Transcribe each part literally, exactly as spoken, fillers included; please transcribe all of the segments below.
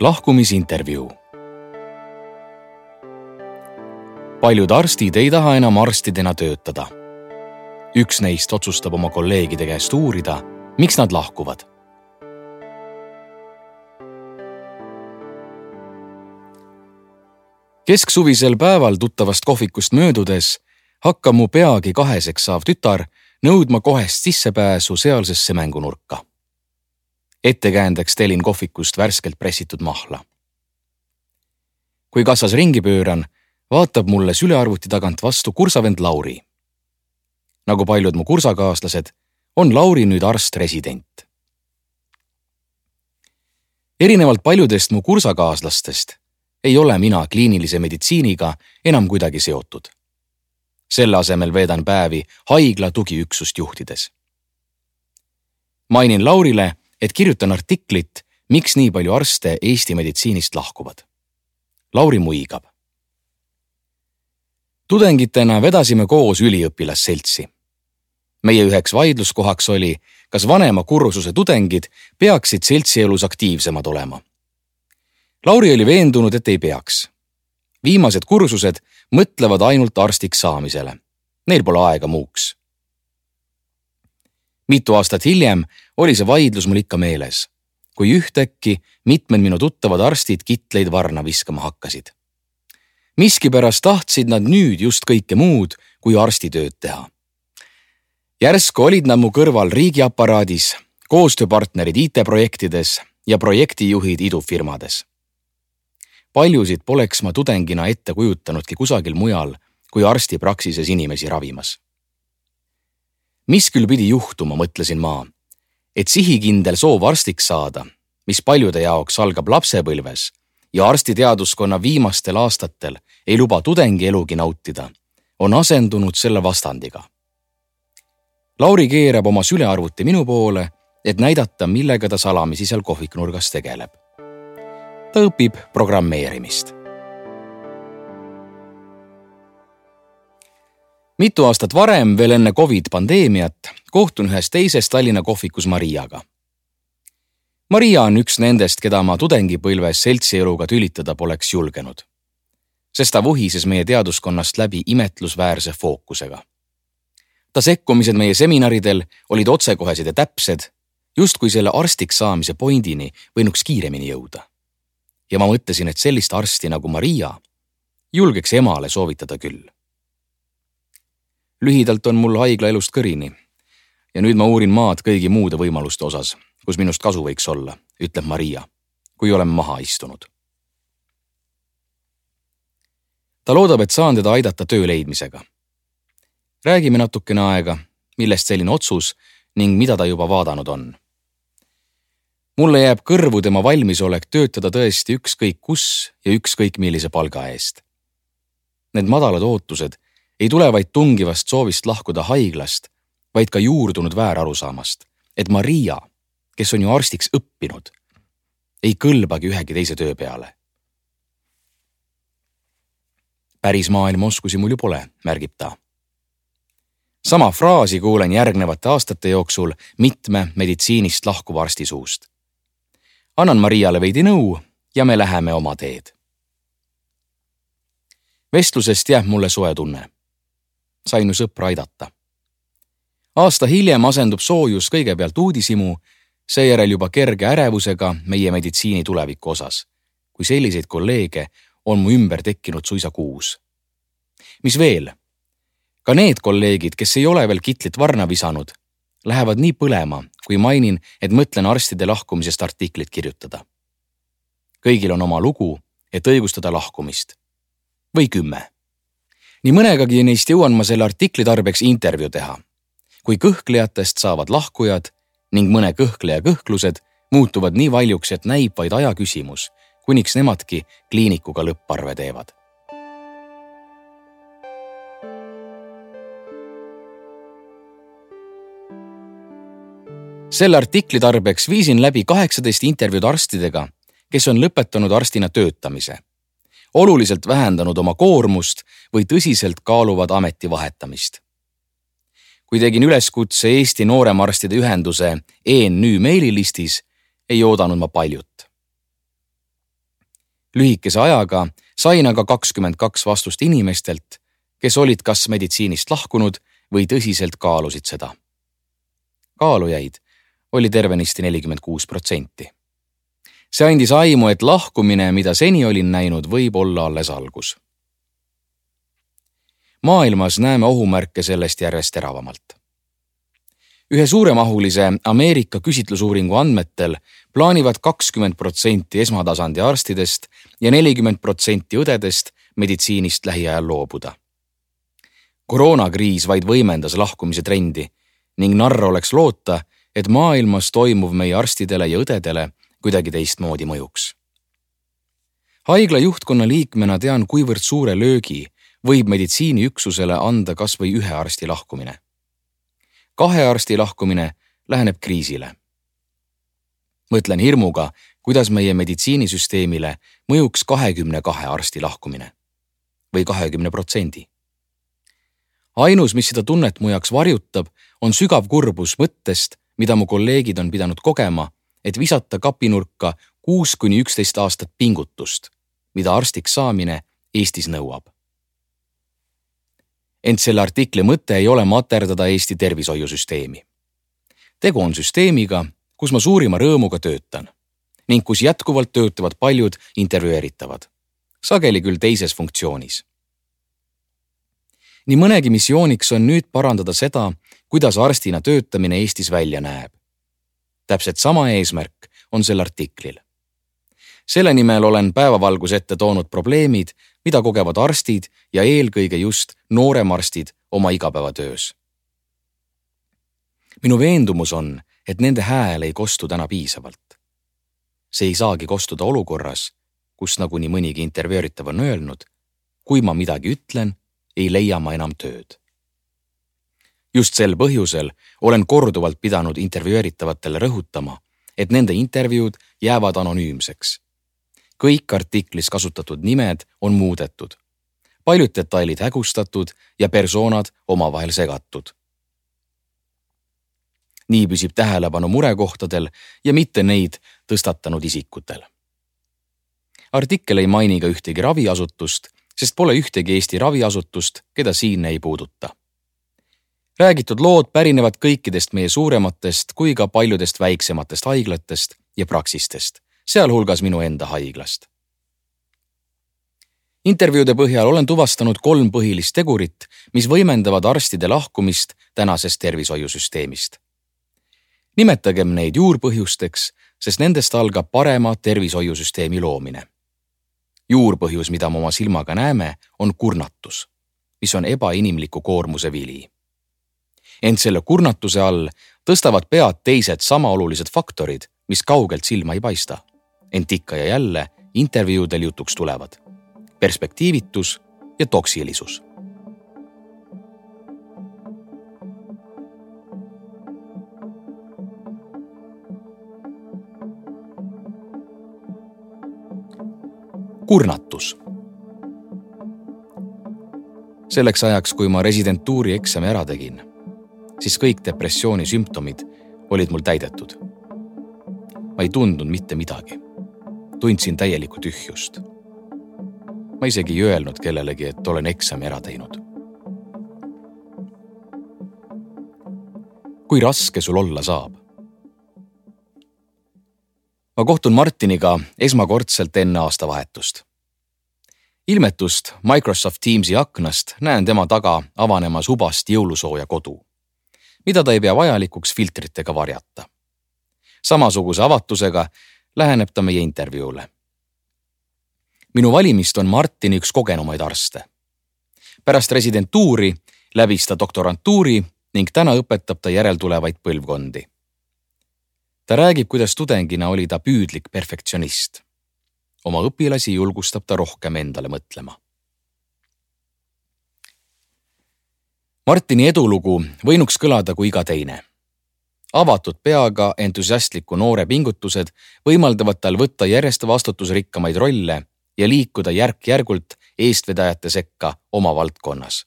lahkumisintervjuu. Paljud arstid ei taha enam arstidena töötada. Üks neist otsustab oma kolleegide käest uurida, miks nad lahkuvad. Kesksuvisel päeval tuttavast kohvikust möödudes hakkab mu peagi kaheseks saav tütar nõudma kohest sissepääsu sealsesse mängunurka. Ettekäändeks telin kohvikust värskelt pressitud mahla. Kui kassas ringi pööran, vaatab mulle sülearvuti tagant vastu kursavend Lauri. Nagu paljud mu kursakaaslased, on Lauri nüüd arst-resident. Erinevalt paljudest mu kursakaaslastest ei ole mina kliinilise meditsiiniga enam kuidagi seotud. Selle asemel veedan päevi haigla tugiüksust juhtides. Mainin Laurile, et kirjutan artiklit, miks nii palju arste Eesti meditsiinist lahkuvad. Lauri muigab. Tudengitena vedasime koos üliõpilasseltsi. Meie üheks vaidluskohaks oli, kas vanema kursuse tudengid peaksid seltsielus aktiivsemad olema. Lauri oli veendunud, et ei peaks. Viimased kursused mõtlevad ainult arstiks saamisele. Neil pole aega muuks. Mitu aastat hiljem oli see vaidlus mul ikka meeles, kui ühtäkki mitmed minu tuttavad arstid kitleid varna viskama hakkasid. Miskipärast tahtsid nad nüüd just kõike muud, kui arstitööd teha. Järsku olid nad mu kõrval riigiaparaadis, koostööpartnerid I T-projektides ja projektijuhid idufirmades. Paljusid poleks ma tudengina ette kujutanudki kusagil mujal, kui arstipraksises inimesi ravimas. Mis küll pidi juhtuma, mõtlesin ma, et sihikindel soov arstiks saada, mis paljude jaoks algab lapsepõlves ja arstiteaduskonna viimastel aastatel ei luba tudengi elugi nautida, on asendunud selle vastandiga. Lauri keerab oma sülearvuti minu poole, et näidata, millega ta salamisi seal kohviknurgas tegeleb. Ta õpib programmeerimist. Mitu aastat varem, veel enne COVID-pandeemiat, kohtun ühes teises Tallinna kohvikus Mariaga. Maria on üks nendest, keda ma tudengipõlves seltsieluga tülitada poleks julgenud, sest ta vuhises meie teaduskonnast läbi imetlusväärse fookusega. Ta sekkumised meie seminaridel olid otsekohesed ja täpsed, justkui selle arstiks saamise pointini võinuks kiiremini jõuda. Ja ma mõtlesin, et sellist arsti nagu Maria julgeks emale soovitada küll. Lühidalt on mul haigla elust kõrini ja nüüd ma uurin maad kõigi muude võimaluste osas, kus minust kasu võiks olla, ütleb Maria, kui oleme maha istunud. Ta loodab, et saan teda aidata töö leidmisega. Räägime natukene aega, millest selline otsus ning mida ta juba vaadanud on. Mulle jääb kõrvu tema valmisolek töötada tõesti ükskõik kus ja ükskõik millise palga eest. Need madalad ootused ei tule vaid tungivast soovist lahkuda haiglast, vaid ka juurdunud väärarusaamast, et Maria, kes on ju arstiks õppinud, ei kõlbagi ühegi teise töö peale. Päris maailma oskusi mul ju pole, märgib ta. Sama fraasi kuulen järgnevate aastate jooksul mitme meditsiinist lahkuva arsti suust. Annan Mariale veidi nõu ja me läheme oma teed. Vestlusest jääb mulle soe tunne. Sain ju sõpra aidata. Aasta hiljem asendub soojus kõigepealt uudisimu, seejärel juba kerge ärevusega meie meditsiini tuleviku osas, kui selliseid kolleege on mu ümber tekkinud suisa kuus. Mis veel? Ka need kolleegid, kes ei ole veel kitlit varna visanud, lähevad nii põlema, kui mainin, et mõtlen arstide lahkumisest artiklit kirjutada. Kõigil on oma lugu, et õigustada lahkumist. Või kümme. Nii mõnegagi neist jõuan ma selle artikli tarbeks intervjuu teha, kui kõhklejatest saavad lahkujad ning mõne kõhkleja kõhklused muutuvad nii valjuks, et näib vaid aja küsimus, kuniks nemadki kliinikuga lõpparve teevad. Selle artikli tarbeks viisin läbi kaheksateist intervjuud arstidega, kes on lõpetanud arstina töötamise, oluliselt vähendanud oma koormust või tõsiselt kaaluvad ameti vahetamist. Kui tegin üleskutse Eesti nooremarstide ühenduse E N Ü meililistis, ei oodanud ma paljut. Lühikese ajaga sain aga kakskümmend kaks vastust inimestelt, kes olid kas meditsiinist lahkunud või tõsiselt kaalusid seda. Kaalujaid oli tervenisti nelikümmend kuus protsenti. See andis aimu, et lahkumine, mida seni olin näinud, võib olla alles algus. Maailmas näeme ohumärke sellest järjest teravamalt. Ühe suuremahulise Ameerika küsitlusuuringu andmetel plaanivad kakskümmend protsenti esmatasandi arstidest ja nelikümmend protsenti õdedest meditsiinist lähiajal loobuda. Koroonakriis vaid võimendas lahkumise trendi ning narr oleks loota, et maailmas toimuv meie arstidele ja õdedele kuidagi teistmoodi mõjuks. Haigla juhtkonna liikmena tean, kuivõrd suure löögi võib meditsiiniüksusele anda kas või ühe arsti lahkumine. Kahe arsti lahkumine läheneb kriisile. Mõtlen hirmuga, kuidas meie meditsiinisüsteemile mõjuks kahekümne kahe arsti lahkumine või kahekümne protsendi. Ainus, mis seda tunnet mu jaoks varjutab, on sügav kurbus mõttest, mida mu kolleegid on pidanud kogema, et visata kapinurka kuus kuni üksteist aastat pingutust, mida arstiks saamine Eestis nõuab. Ent selle artikli mõte ei ole materdada Eesti tervishoiusüsteemi. Tegu on süsteemiga, kus ma suurima rõõmuga töötan ning kus jätkuvalt töötavad paljud intervjueeritavad, sageli küll teises funktsioonis. Nii mõnegi missiooniks on nüüd parandada seda, kuidas arstina töötamine Eestis välja näeb. Täpselt sama eesmärk on sel artiklil. Selle nimel olen päevavalgus ette toonud probleemid, mida kogevad arstid ja eelkõige just nooremarstid oma igapäevatöös. Minu veendumus on, et nende hääl ei kostu täna piisavalt. See ei saagi kostuda olukorras, kus nagu nii mõnigi intervjueritav on öelnud, kui ma midagi ütlen, ei leia ma enam tööd. Just sel põhjusel olen korduvalt pidanud intervjueritavatele rõhutama, et nende intervjuud jäävad anonüümseks. Kõik artiklis kasutatud nimed on muudetud, paljud detailid hägustatud ja persoonad omavahel segatud. Nii püsib tähelepanu murekohtadel ja mitte neid tõstatanud isikutel. Artikkel ei maini ka ühtegi raviasutust, sest pole ühtegi Eesti raviasutust, keda siin ei puuduta. Räägitud lood pärinevad kõikidest meie suurematest kui ka paljudest väiksematest haiglatest ja praksistest, sealhulgas minu enda haiglast. Intervjuude põhjal olen tuvastanud kolm põhilist tegurit, mis võimendavad arstide lahkumist tänasest tervishoiusüsteemist. Nimetagem neid juurpõhjusteks, sest nendest algab parema tervishoiusüsteemi loomine. Juurpõhjus, mida me oma silmaga näeme, on kurnatus, mis on ebainimliku koormuse vili. Ent selle kurnatuse all tõstavad pead teised sama olulised faktorid, mis kaugelt silma ei paista. Ent ikka ja jälle intervjuudel jutuks tulevad. Perspektiivitus ja toksilisus. Kurnatus. Selleks ajaks, kui ma residentuuri eksami ära tegin, siis kõik depressiooni sümptomid olid mul täidetud. Ma ei tundnud mitte midagi. Tundsin täielikku tühjust. Ma isegi ei öelnud kellelegi, et olen eksami ära teinud. Kui raske sul olla saab? Ma kohtun Martiniga esmakordselt enne aastavahetust. Ilmetust Microsoft Teamsi aknast näen tema taga avanemas hubast jõulusooja kodu, mida ta ei pea vajalikuks filtritega varjata. Samasuguse avatusega läheneb ta meie intervjuule. Minu valimist on Martini üks kogenumaid arste. Pärast residentuuri läbis ta doktorantuuri ning täna õpetab ta järeltulevaid põlvkondi. Ta räägib, kuidas tudengina oli ta püüdlik perfektsionist. Oma õpilasi julgustab ta rohkem endale mõtlema. Martini edulugu võinuks kõlada kui iga teine. Avatud peaga entusiastliku noore pingutused võimaldavad tal võtta järjest vastutusrikkamaid rolle ja liikuda järk-järgult eestvedajate sekka oma valdkonnas,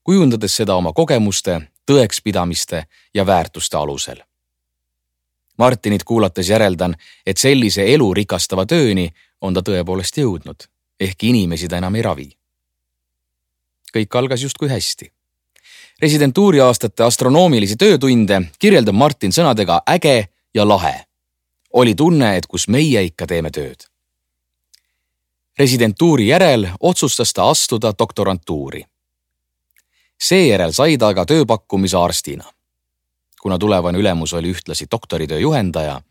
kujundades seda oma kogemuste, tõekspidamiste ja väärtuste alusel. Martinit kuulates järeldan, et sellise elu rikastava tööni on ta tõepoolest jõudnud, ehk inimesi ta enam ei ravi. Kõik algas justkui hästi. Residentuuri aastate astronoomilisi töötunde kirjeldab Martin sõnadega äge ja lahe. Oli tunne, et kus meie ikka teeme tööd. Residentuuri järel otsustas ta astuda doktorantuuri. Seejärel sai ta aga tööpakkumise arstina. Kuna tulevane ülemus oli ühtlasi doktoritöö juhendaja,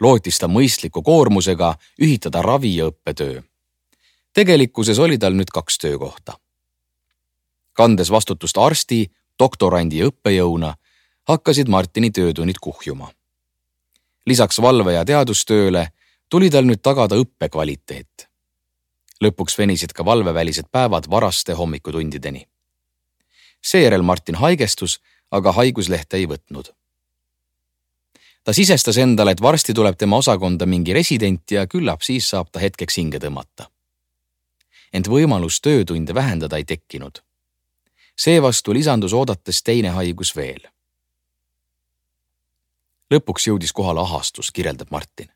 lootis ta mõistliku koormusega ühitada ravi ja õppetöö. Tegelikkuses oli tal nüüd kaks töökohta. Kandes vastutust arsti, doktorandi ja õppejõuna, hakkasid Martini töötunnid kuhjuma. Lisaks valve- ja teadustööle tuli tal nüüd tagada õppekvaliteet. Lõpuks venisid ka valvevälised päevad varaste hommikutundideni. Seejärel Martin haigestus, aga haiguslehte ei võtnud. Ta sisestas endale, et varsti tuleb tema osakonda mingi resident ja küllap siis saab ta hetkeks hinge tõmmata. Ent võimalus töötunde vähendada ei tekkinud. Seevastu lisandus oodates teine haigus veel. Lõpuks jõudis kohale ahastus, kirjeldab Martin.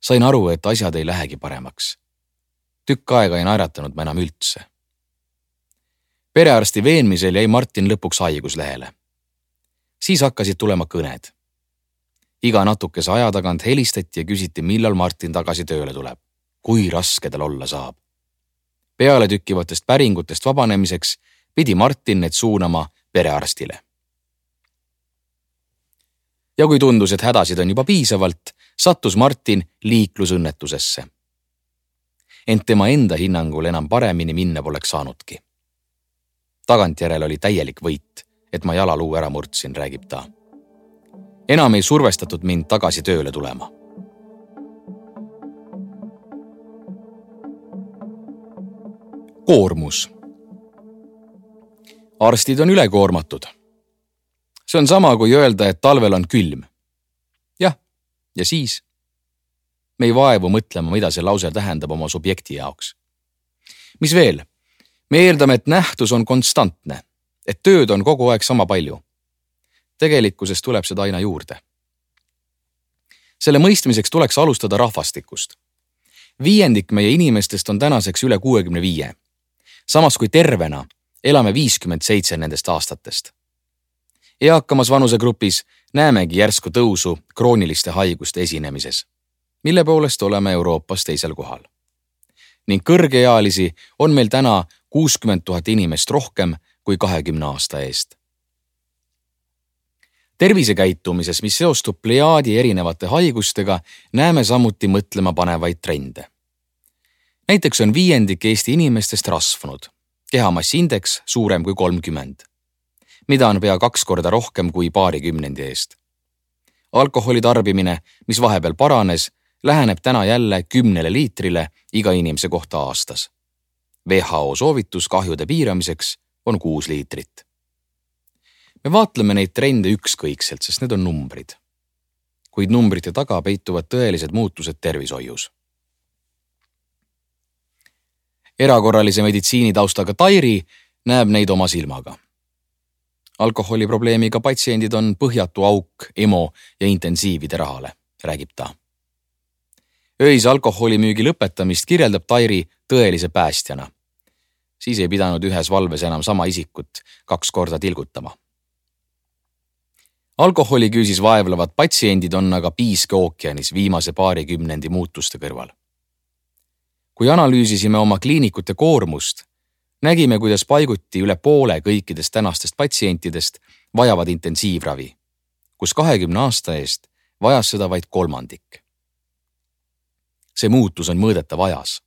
Sain aru, et asjad ei lähegi paremaks. Tükk aega ei naeratanud ma enam üldse. Perearsti veenmisel jäi Martin lõpuks haiguslehele. Siis hakkasid tulema kõned. Iga natukese aja tagant helistati ja küsiti, millal Martin tagasi tööle tuleb. Kui raske tal olla saab. Peale tükkivatest päringutest vabanemiseks pidi Martin need suunama perearstile. Ja kui tundus, et hädasid on juba piisavalt, sattus Martin liiklusõnnetusesse. Ent tema enda hinnangul enam paremini minna poleks saanudki. Tagantjärel oli täielik võit, et ma jalaluu ära murdsin, räägib ta. Enam ei survestatud mind tagasi tööle tulema. Koormus. Arstid on ülekoormatud. See on sama kui öelda, et talvel on külm. Jah, ja siis? Me ei vaevu mõtlema, mida see lause tähendab oma subjekti jaoks. Mis veel? Me eeldame, et nähtus on konstantne, et tööd on kogu aeg sama palju. Tegelikkuses tuleb seda aina juurde. Selle mõistmiseks tuleks alustada rahvastikust. Viiendik meie inimestest on tänaseks üle kuuekümne viie. Samas kui tervena elame viiskümmend seitse nendest aastatest. Eakamas vanusegrupis näemegi järsku tõusu krooniliste haiguste esinemises, mille poolest oleme Euroopas teisel kohal. Ning kõrgeealisi on meil täna kuuskümmend tuhat inimest rohkem kui kahekümne aasta eest. Tervisekäitumises, mis seostub plejaadi erinevate haigustega, näeme samuti mõtlema panevaid trende. Näiteks on viiendik Eesti inimestest rasvunud, kehamassiindeks suurem kui kolmkümmend, mida on pea kaks korda rohkem kui paari kümnendi eest. Alkoholi tarbimine, mis vahepeal paranes, läheneb täna jälle kümnele liitrile iga inimese kohta aastas. W H O soovitus kahjude piiramiseks on kuus liitrit. Me vaatleme neid trende ükskõikselt, sest need on numbrid. Kuid numbrite taga peituvad tõelised muutused tervishoius. Erakorralise meditsiini taustaga Tairi näeb neid oma silmaga. Alkoholiprobleemiga patsiendid on põhjatu auk emo ja intensiivide rahale, räägib ta. Öise alkoholimüügi lõpetamist kirjeldab Tairi tõelise päästjana. Siis ei pidanud ühes valves enam sama isikut kaks korda tilgutama. Alkoholiküüsis vaevlevad patsiendid on aga piiske ookeanis viimase paari kümnendi muutuste kõrval. Kui analüüsisime oma kliinikute koormust, nägime, kuidas paiguti üle poole kõikidest tänastest patsientidest vajavad intensiivravi, kus kahekümne aasta eest vajas seda vaid kolmandik. See muutus on mõõdetav ajas.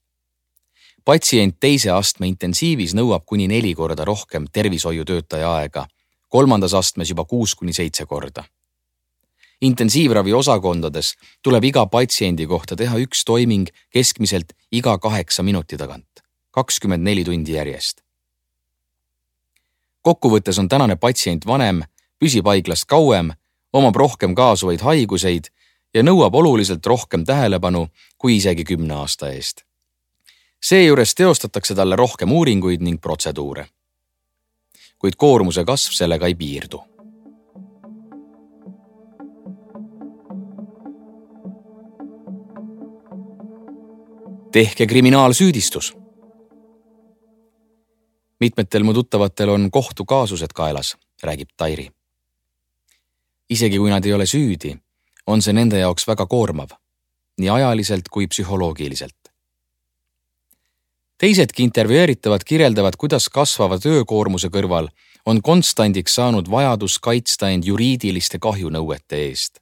Patsient teise astme intensiivis nõuab kuni neli korda rohkem tervishoiutöötaja aega, kolmandas astmes juba kuus kuni seitse korda. Intensiivravi osakondades tuleb iga patsiendi kohta teha üks toiming keskmiselt iga kaheksa minuti tagant, kakskümmend neli tundi järjest. Kokkuvõttes on tänane patsient vanem, püsib haiglast kauem, omab rohkem kaasuvaid haiguseid ja nõuab oluliselt rohkem tähelepanu kui isegi kümne aasta eest. Seejuures teostatakse talle rohkem uuringuid ning protseduure. Kuid koormuse kasv sellega ei piirdu. tehke kriminaalsüüdistus. Mitmetel mu tuttavatel on kohtukaasused kaelas, räägib Tairi. Isegi kui nad ei ole süüdi, on see nende jaoks väga koormav, nii ajaliselt kui psühholoogiliselt. Teisedki intervjueeritavad kirjeldavad, kuidas kasvava töökoormuse kõrval on konstandiks saanud vajadus kaitsta end juriidiliste kahjunõuete eest.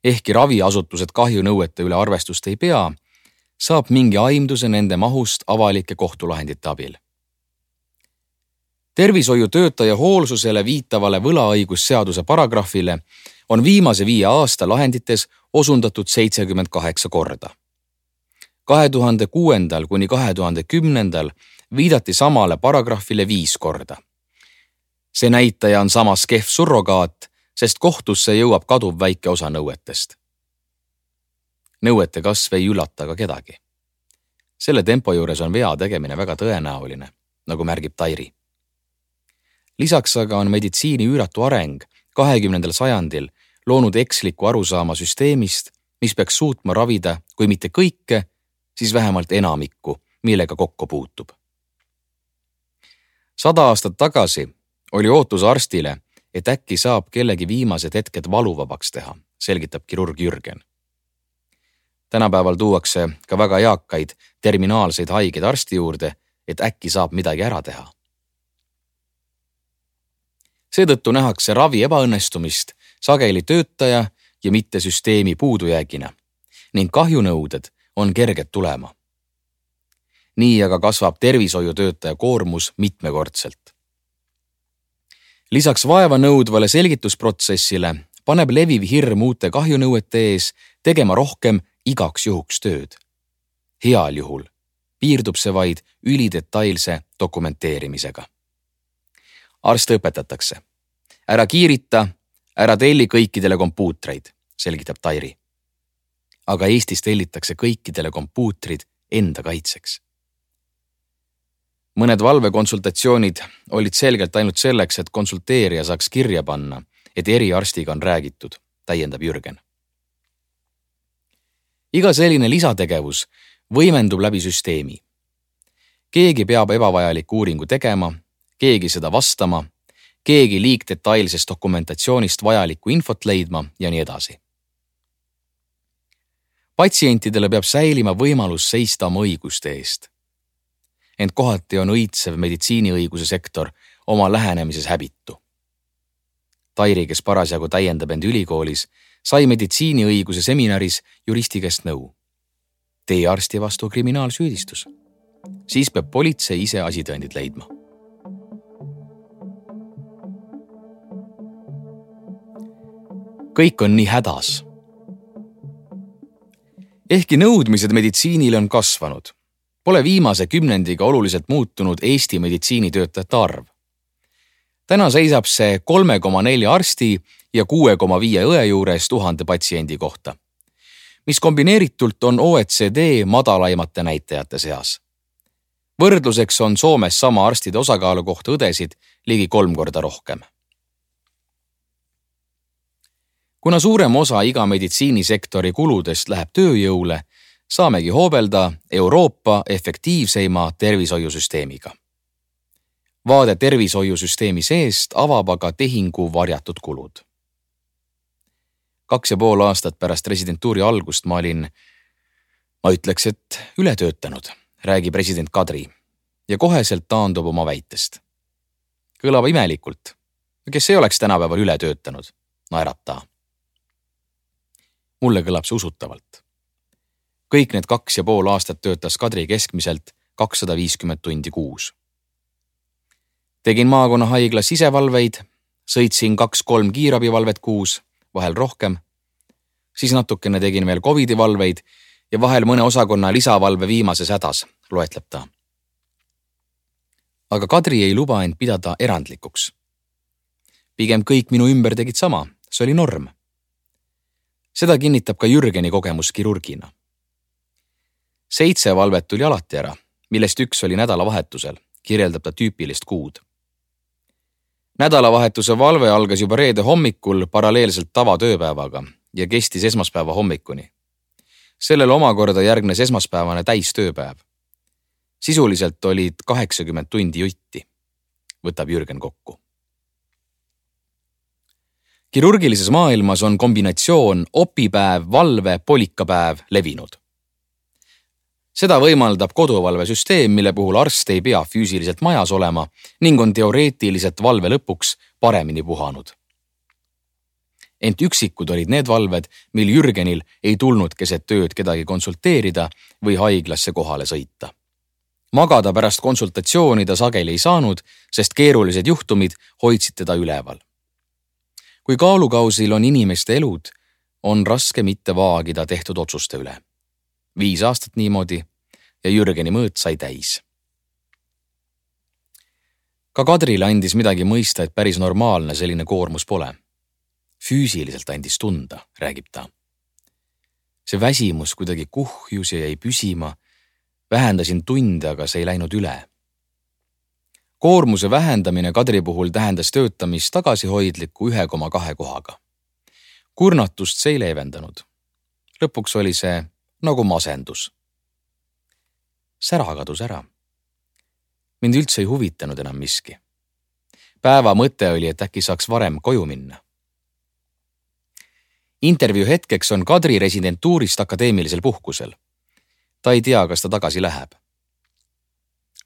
Ehkki raviasutused kahjunõuete üle arvestust ei pea, saab mingi aimduse nende mahust avalike kohtulahendite abil. Tervishoiutöötaja hoolsusele viitavale võlaõigusseaduse paragrahvile on viimase viie aasta lahendites osundatud seitsekümmend kaheksa korda. kahe tuhande kuuendal kuni kahe tuhande kümnendal viidati samale paragrahvile viis korda. See näitaja on samas kehv surrogaat, sest kohtusse jõuab kaduv väike osa nõuetest. Nõuete kasv ei üllata ka kedagi. Selle tempo juures on vea tegemine väga tõenäoline, nagu märgib Tairi. Lisaks aga on meditsiini üüratu areng kahekümnendal sajandil loonud eksliku arusaama süsteemist, mis peaks suutma ravida, kui mitte kõike, siis vähemalt enamikku, millega kokku puutub. Sada aastat tagasi oli ootus arstile, et äkki saab kellegi viimased hetked valuvabaks teha, selgitab kirurg Jürgen. Tänapäeval tuuakse ka väga eakaid terminaalseid haigeid arsti juurde, et äkki saab midagi ära teha. Seetõttu nähakse ravi ebaõnnestumist sageli töötaja ja mitte süsteemi puudujäägina ning kahjunõuded on kerged tulema. Nii aga kasvab tervishoiutöötaja koormus mitmekordselt. Lisaks vaeva nõudvale selgitusprotsessile paneb leviv hirm uute kahjunõuete ees tegema rohkem igaks juhuks tööd. Heal juhul piirdub see vaid ülidetailse dokumenteerimisega. Arste õpetatakse. Ära kiirita, ära telli kõikidele kompuutreid, selgitab Tairi. Aga Eestis tellitakse kõikidele kompuutrid enda kaitseks. Mõned valvekonsultatsioonid olid selgelt ainult selleks, et konsulteerija saaks kirja panna, et eriarstiga on räägitud, täiendab Jürgen. Iga selline lisategevus võimendub läbi süsteemi. Keegi peab ebavajaliku uuringu tegema, keegi seda vastama, keegi liigdetailsest dokumentatsioonist vajalikku infot leidma ja nii edasi. Patsientidele peab säilima võimalus seista oma õiguste eest. Ent kohati on õitsev meditsiiniõiguse sektor oma lähenemises häbitu. Tairi, kes parasjagu täiendab end ülikoolis, sai meditsiiniõiguse seminaris juristi käest nõu. Tee arsti vastu kriminaalsüüdistus. Siis peab politsei ise asitõendid leidma. Kõik on nii hädas. Ehkki nõudmised meditsiinile on kasvanud, pole viimase kümnendiga oluliselt muutunud Eesti meditsiinitöötajate arv. Täna seisab see kolme koma nelja arsti ja kuue koma viie õe juures tuhande patsiendi kohta, mis kombineeritult on O E C D madalaimate näitajate seas. Võrdluseks on Soomes sama arstide osakaalu kohta õdesid ligi kolm korda rohkem. Kuna suurem osa iga meditsiinisektori kuludest läheb tööjõule, saamegi hoobelda Euroopa efektiivseima tervishoiusüsteemiga. Vaade tervishoiusüsteemi seest avab aga tehingu varjatud kulud. Kaks ja pool aastat pärast residentuuri algust ma olin, ma ütleks, et ületöötanud, räägib president Kadri ja koheselt taandub oma väitest. Kõlab imelikult. Kes ei oleks tänapäeval ületöötanud? Naerab ta. Mulle kõlab see usutavalt. Kõik need kaks ja pool aastat töötas Kadri keskmiselt kakssada viiskümmend tundi kuus. Tegin maakonna haiglas sisevalveid, sõitsin kaks-kolm kiirabivalvet kuus, vahel rohkem. Siis natukene tegin veel Covidi valveid ja vahel mõne osakonna lisavalve viimases hädas, loetleb ta. Aga Kadri ei luba end pidada erandlikuks. Pigem kõik minu ümber tegid sama, see oli norm. Seda kinnitab ka Jürgeni kogemus kirurgina. Seitse valvet tuli alati ära, millest üks oli nädalavahetusel, kirjeldab ta tüüpilist kuud. Nädalavahetuse valve algas juba reede hommikul paralleelselt tavatööpäevaga ja kestis esmaspäeva hommikuni. sellele omakorda järgnes esmaspäevane täistööpäev. Sisuliselt olid kaheksakümmend tundi jutti, võtab Jürgen kokku. Kirurgilises maailmas on kombinatsioon opipäev, valve, polikapäev levinud. Seda võimaldab koduvalvesüsteem, mille puhul arst ei pea füüsiliselt majas olema ning on teoreetiliselt valve lõpuks paremini puhanud. Ent üksikud olid need valved, mil Jürgenil ei tulnud keset tööd kedagi konsulteerida või haiglasse kohale sõita. Magada pärast konsultatsiooni ta sageli ei saanud, sest keerulised juhtumid hoidsid teda üleval. Kui kaalukausil on inimeste elud, on raske mitte vaagida tehtud otsuste üle. Viis aastat niimoodi ja Jürgeni mõõt sai täis. Ka Kadrile andis midagi mõista, et päris normaalne selline koormus pole. Füüsiliselt andis tunda, räägib ta. See väsimus kuidagi kuhjus ja jäi püsima. Vähendasin tunde, aga see ei läinud üle. Koormuse vähendamine Kadri puhul tähendas töötamist tagasihoidliku ühe koma kahe kohaga. Kurnatust see ei leevendanud. Lõpuks oli see nagu masendus. Sära kadus ära. Mind üldse ei huvitanud enam miski. Päeva mõte oli, et äkki saaks varem koju minna. Intervjuu hetkeks on Kadri residentuurist akadeemilisel puhkusel. Ta ei tea, kas ta tagasi läheb.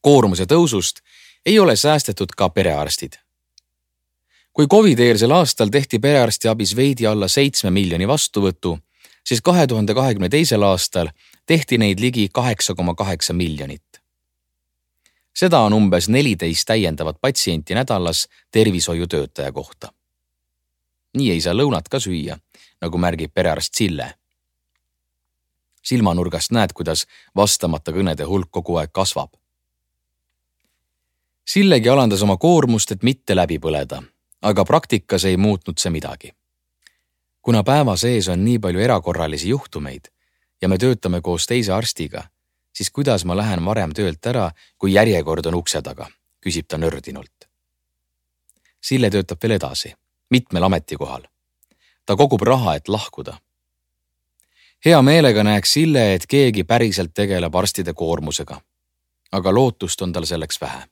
Koormuse tõusust ei ole säästetud ka perearstid. Kui COVID-eelsel aastal tehti perearsti abis veidi alla seitsme miljoni vastuvõtu, siis kahe tuhande kahekümne teisel aastal tehti neid ligi kaheksa koma kaheksa miljonit. Seda on umbes neliteist täiendavat patsienti nädalas tervishoiutöötaja kohta. Nii ei saa lõunat ka süüa, nagu märgib perearst Sille. Silmanurgast näed, kuidas vastamata kõnede hulk kogu aeg kasvab. Sillegi alandas oma koormust, et mitte läbi põleda, aga praktikas ei muutnud see midagi. Kuna päeva sees on nii palju erakorralisi juhtumeid ja me töötame koos teise arstiga, siis kuidas ma lähen varem töölt ära, kui järjekord on ukse taga, küsib ta nördinult. Sille töötab veel edasi, mitmel ametikohal. Ta kogub raha, et lahkuda. Hea meelega näeks Sille, et keegi päriselt tegeleb arstide koormusega, aga lootust on tal selleks vähe.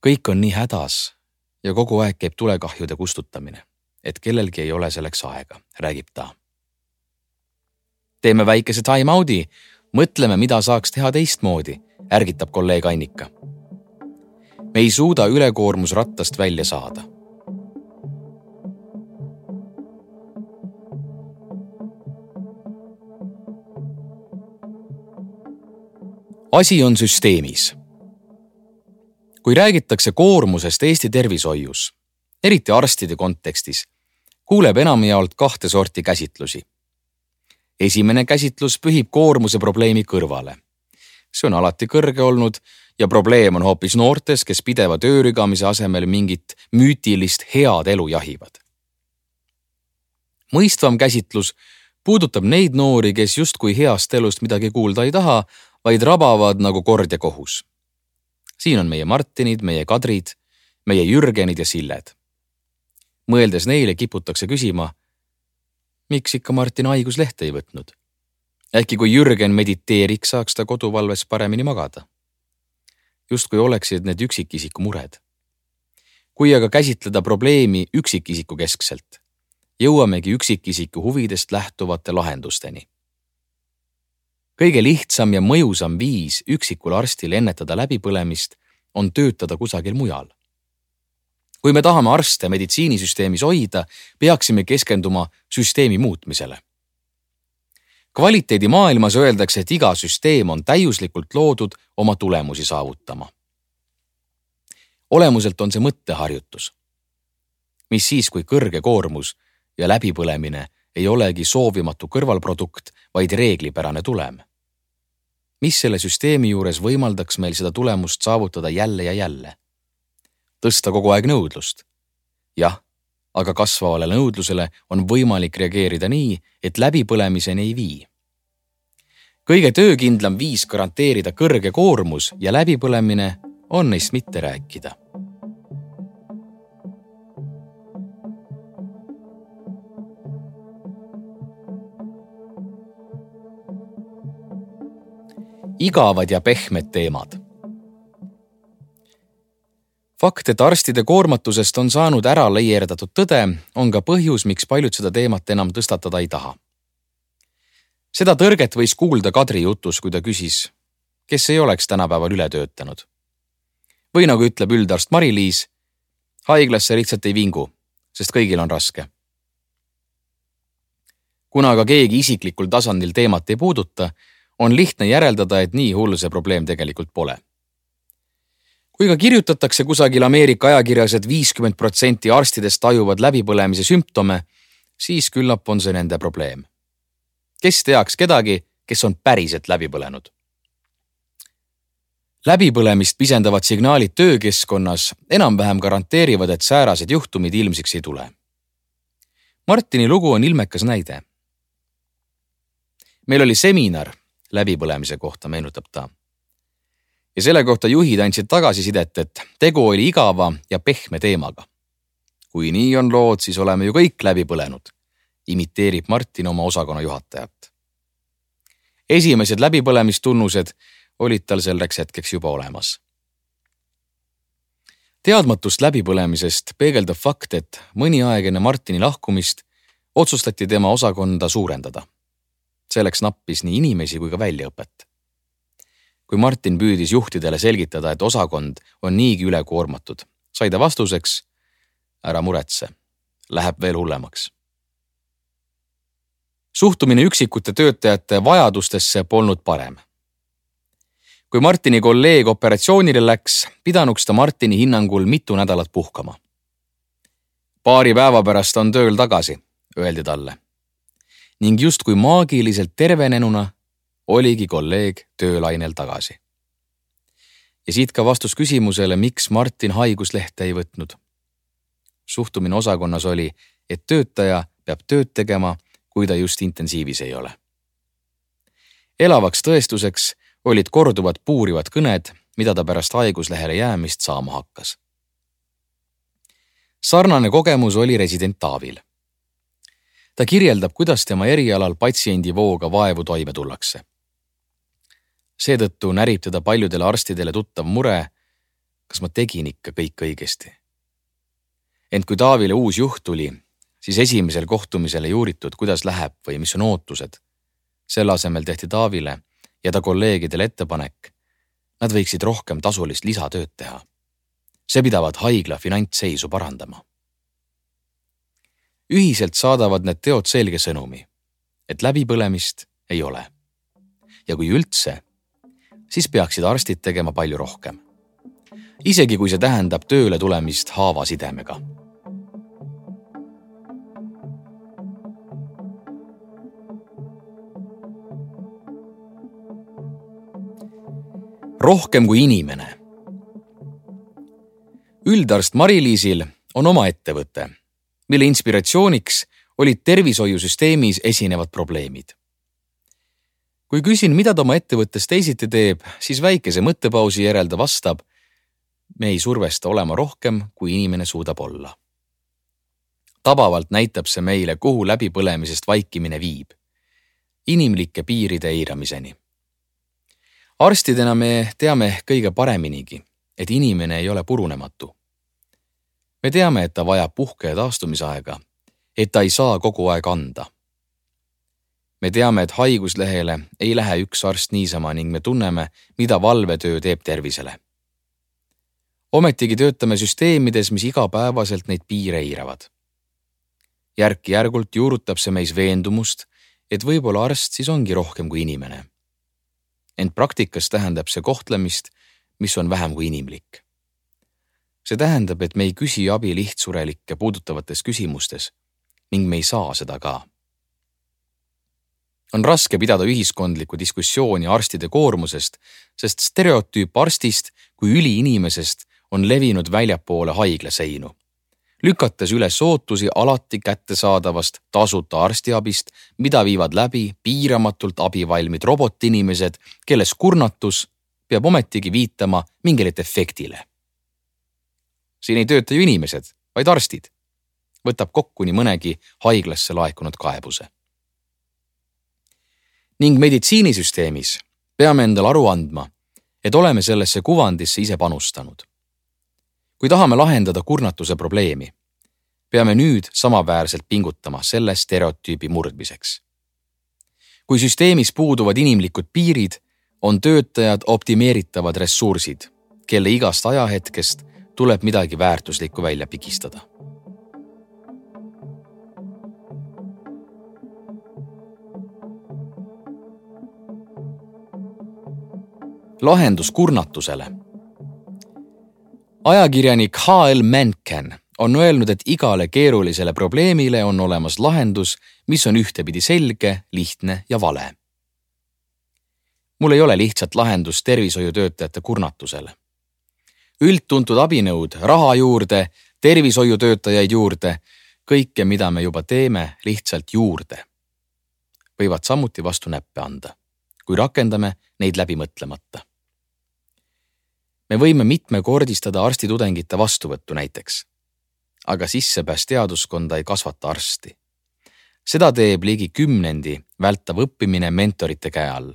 Kõik on nii hädas ja kogu aeg käib tulekahjude kustutamine, et kellelgi ei ole selleks aega, räägib ta. Teeme väikese time-out'i, mõtleme, mida saaks teha teistmoodi, ärgitab kolleeg Annika. Me ei suuda ülekoormusrattast välja saada. Asi on süsteemis. Kui räägitakse koormusest Eesti tervishoius, eriti arstide kontekstis, kuuleb enamjaolt kahte sorti käsitlusi. Esimene käsitlus pühib koormuse probleemi kõrvale. See on alati kõrge olnud ja probleem on hoopis noortes, kes pideva töörigamise asemel mingit müütilist head elu jahivad. Mõistvam käsitlus puudutab neid noori, kes justkui heast elust midagi kuulda ei taha, vaid rabavad nagu kord ja kohus. Siin on meie Martinid, meie Kadrid, meie Jürgenid ja Silled. Mõeldes neile kiputakse küsima, miks ikka Martin haiguslehte ei võtnud? Äkki kui Jürgen mediteeriks, saaks ta koduvalves paremini magada. Justkui oleksid need üksikisiku mured. Kui aga käsitleda probleemi üksikisiku keskselt, jõuamegi üksikisiku huvidest lähtuvate lahendusteni. Kõige lihtsam ja mõjusam viis üksikul arstil ennetada läbipõlemist on töötada kusagil mujal. Kui me tahame arste meditsiinisüsteemis hoida, peaksime keskenduma süsteemi muutmisele. Kvaliteedi maailmas öeldakse, et iga süsteem on täiuslikult loodud oma tulemusi saavutama. Olemuselt on see mõtteharjutus. Mis siis, kui kõrge koormus ja läbipõlemine ei olegi soovimatu kõrvalprodukt, vaid reeglipärane tulem? Mis selle süsteemi juures võimaldaks meil seda tulemust saavutada jälle ja jälle? Tõsta kogu aeg nõudlust. Jah, aga kasvavale nõudlusele on võimalik reageerida nii, et läbipõlemiseni ei vii. Kõige töökindlam viis garanteerida kõrge koormus ja läbipõlemine on neist mitte rääkida. igavad ja pehmed teemad. Fakt, et arstide koormatusest on saanud ära leierdatud tõde, on ka põhjus, miks paljud seda teemat enam tõstatada ei taha. Seda tõrget võis kuulda Kadri jutus, kui ta küsis, kes ei oleks tänapäeval üle töötanud. Või nagu ütleb üldarst Mari-Liis, haiglasse lihtsalt ei vingu, sest kõigil on raske. Kuna aga keegi isiklikul tasandil teemat ei puuduta, on lihtne järeldada, et nii hull see probleem tegelikult pole. Kui ka kirjutatakse kusagil Ameerika ajakirjas, et viiskümmend protsenti arstidest tajuvad läbipõlemise sümptome, siis küllap on see nende probleem. Kes teaks kedagi, kes on päriselt läbi põlenud? Läbipõlemist pisendavad signaalid töökeskkonnas enam-vähem garanteerivad, et säärased juhtumid ilmsiks ei tule. Martini lugu on ilmekas näide. Meil oli seminar läbipõlemise kohta, meenutab ta. Ja selle kohta juhid andsid tagasisidet, et tegu oli igava ja pehme teemaga. Kui nii on lood, siis oleme ju kõik läbi põlenud, imiteerib Martin oma osakonna juhatajat. Esimesed läbipõlemistunnused olid tal selleks hetkeks juba olemas. Teadmatust läbipõlemisest peegeldab fakt, et mõni aeg enne Martini lahkumist otsustati tema osakonda suurendada. Selleks nappis nii inimesi kui ka väljaõpet. Kui Martin püüdis juhtidele selgitada, et osakond on niigi üle koormatud, sai ta vastuseks, ära muretse, läheb veel hullemaks. Suhtumine üksikute töötajate vajadustesse polnud parem. Kui Martini kolleeg operatsioonile läks, pidanuks ta Martini hinnangul mitu nädalat puhkama. Paari päeva pärast on tööl tagasi, öeldi talle. Ning just kui maagiliselt tervenenuna oligi kolleeg töölainel tagasi. Ja siit ka vastus küsimusele, miks Martin haiguslehte ei võtnud. Suhtumine osakonnas oli, et töötaja peab tööd tegema, kui ta just intensiivis ei ole. Elavaks tõestuseks olid korduvad puurivad kõned, mida ta pärast haiguslehele jäämist saama hakkas. Sarnane kogemus oli resident Taavil. Ta kirjeldab, kuidas tema erialal patsiendi vooga vaevu toime tullakse. Seetõttu närib teda paljudele arstidele tuttav mure, kas ma tegin ikka kõik õigesti. Ent kui Taavile uus juht tuli, siis esimesel kohtumisele juuritud, kuidas läheb või mis on ootused. Selle asemel tehti Taavile ja ta kolleegidele ettepanek, nad võiksid rohkem tasulist lisatööd teha. See pidavad haigla finantsseisu parandama. Ühiselt saadavad need teod selge sõnumi, et läbipõlemist ei ole. Ja kui üldse, siis peaksid arstid tegema palju rohkem. Isegi kui see tähendab tööle tulemist haavasidemega. Rohkem kui inimene. Üldarst Mari-Liisil on oma ettevõte, mille inspiratsiooniks olid tervishoiusüsteemis esinevad probleemid. Kui küsin, mida ta oma ettevõttes teisiti teeb, siis väikese mõttepausi järel ta vastab, me ei survesta olema rohkem, kui inimene suudab olla. Tabavalt näitab see meile, kuhu läbipõlemisest vaikimine viib. Inimlike piiride eiramiseni. Arstidena me teame kõige pareminigi, et inimene ei ole purunematu. Me teame, et ta vajab puhke ja taastumisaega, et ta ei saa kogu aeg anda. Me teame, et haiguslehele ei lähe üks arst niisama ning me tunneme, mida valvetöö teeb tervisele. Ometigi töötame süsteemides, mis igapäevaselt neid piire eiravad. Järk-järgult juurutab see meis veendumust, et võib-olla arst siis ongi rohkem kui inimene. Ent praktikas tähendab see kohtlemist, mis on vähem kui inimlik. See tähendab, et me ei küsi abi lihtsurelikke puudutavates küsimustes ning me ei saa seda ka. On raske pidada ühiskondlikku diskussiooni arstide koormusest, sest stereotüüp arstist kui üliinimesest on levinud väljapoole haiglaseinu, lükates üles ootusi alati kättesaadavast tasuta arstiabist, mida viivad läbi piiramatult abivalmid robotinimesed, kelles kurnatus peab ometigi viitama mingile efektile. Siin ei tööta ju inimesed, vaid arstid. Võtab kokku nii mõnegi haiglasse laekunud kaebuse. Ning meditsiinisüsteemis peame endale aru andma, et oleme sellesse kuvandisse ise panustanud. Kui tahame lahendada kurnatuse probleemi, peame nüüd samaväärselt pingutama selle stereotüübi murdmiseks. Kui süsteemis puuduvad inimlikud piirid, on töötajad optimeeritavad ressursid, kelle igast ajahetkest tuleb midagi väärtuslikku välja pigistada. Lahendus kurnatusele. Ajakirjanik H L Mencken on öelnud, et igale keerulisele probleemile on olemas lahendus, mis on ühtepidi selge, lihtne ja vale. Mul ei ole lihtsalt lahendust tervishoiutöötajate kurnatusele. Üldtuntud abinõud, raha juurde, tervishoiutöötajaid juurde, kõike, mida me juba teeme, lihtsalt juurde. Võivad samuti vastu näppe anda, kui rakendame neid läbi mõtlemata. Me võime mitmekordistada arstitudengite vastuvõttu näiteks, aga sissepääs teaduskonda ei kasvata arsti. Seda teeb ligi kümnendi vältav õppimine mentorite käe all.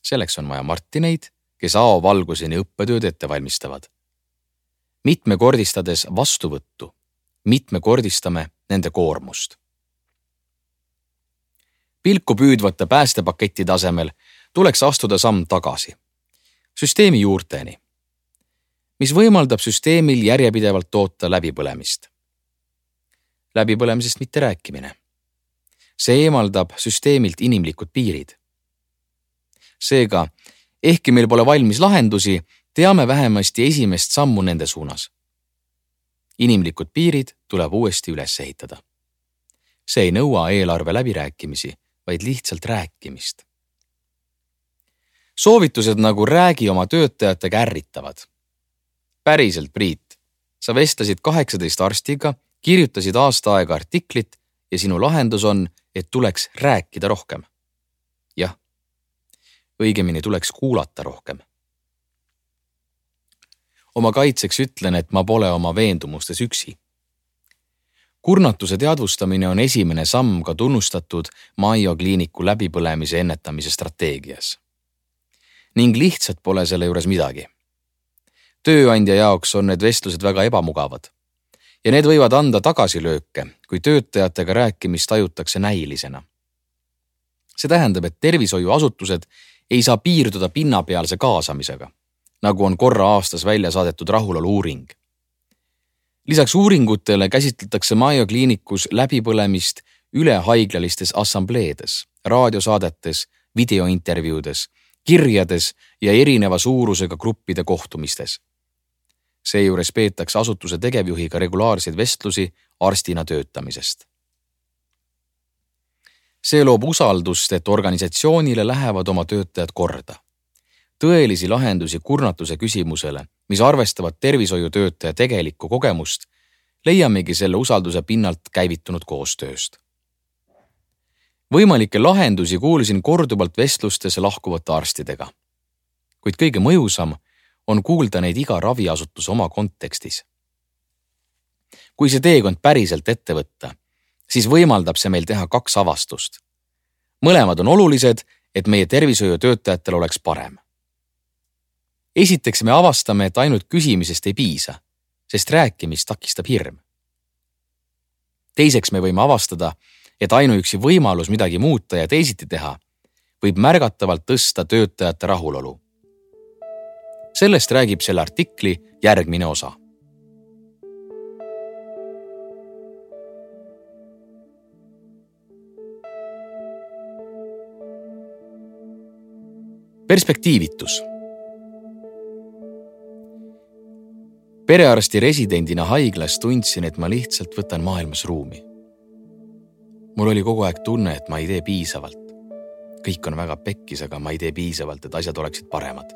Selleks on vaja Martineid, kes A O valguseni õppetööd ette valmistavad. Mitmekordistades vastuvõttu, mitmekordistame nende koormust. Pilku püüdvate päästepakettide asemel tuleks astuda samm tagasi. Süsteemi juurteni, mis võimaldab süsteemil järjepidevalt toota läbipõlemist. Läbipõlemisest mitte rääkimine. See eemaldab süsteemilt inimlikud piirid. Seega, ehkki meil pole valmis lahendusi, teame vähemasti esimest sammu nende suunas. Inimlikud piirid tuleb uuesti üles ehitada. See ei nõua eelarve läbirääkimisi, vaid lihtsalt rääkimist. Soovitused nagu räägi oma töötajatega ärritavad. Päriselt, Priit, sa vestlesid kaheksateist arstiga, kirjutasid aasta aega artiklit ja sinu lahendus on, et tuleks rääkida rohkem. Jah, õigemini tuleks kuulata rohkem. Oma kaitseks ütlen, et ma pole oma veendumustes üksi. Kurnatuse teadvustamine on esimene samm ka tunnustatud Maio kliiniku läbipõlemise ennetamise strateegias. Ning lihtsalt pole selle juures midagi. Tööandja jaoks on need vestlused väga ebamugavad ja need võivad anda tagasilööke, kui töötajatega rääkimist tajutakse näilisena. See tähendab, et tervishoiuasutused ei saa piirduda pinnapealse kaasamisega, nagu on korra aastas välja saadetud rahulolu uuring. Lisaks uuringutele käsitletakse Maio kliinikus läbipõlemist ülehaiglallistes assambleedes, raadiosaadetes, videointervjuudes, kirjades ja erineva suurusega gruppide kohtumistes. Seejuures peetakse asutuse tegevjuhiga regulaarseid vestlusi arstina töötamisest. See loob usaldust, et organisatsioonile lähevad oma töötajad korda. Tõelisi lahendusi kurnatuse küsimusele, mis arvestavad tervishoiutöötaja tegelikku kogemust, leiamegi selle usalduse pinnalt käivitunud koostööst. Võimalikke lahendusi kuulsin korduvalt vestlustes lahkuvate arstidega. Kuid kõige mõjusam on kuulda neid iga raviasutuse oma kontekstis. Kui see teekond päriselt ette võtta, siis võimaldab see meil teha kaks avastust. Mõlemad on olulised, et meie tervishoiutöötajatel oleks parem. Esiteks me avastame, et ainult küsimisest ei piisa, sest rääkimist takistab hirm. Teiseks me võime avastada, et ainuüksi võimalus midagi muuta ja teisiti teha võib märgatavalt tõsta töötajate rahulolu. Sellest räägib selle artikli järgmine osa. Perspektiivitus. Perearsti residendina haiglas tundsin, et ma lihtsalt võtan maailmas ruumi. Mul oli kogu aeg tunne, et ma ei tee piisavalt. Kõik on väga pekkis, aga ma ei tee piisavalt, et asjad oleksid paremad.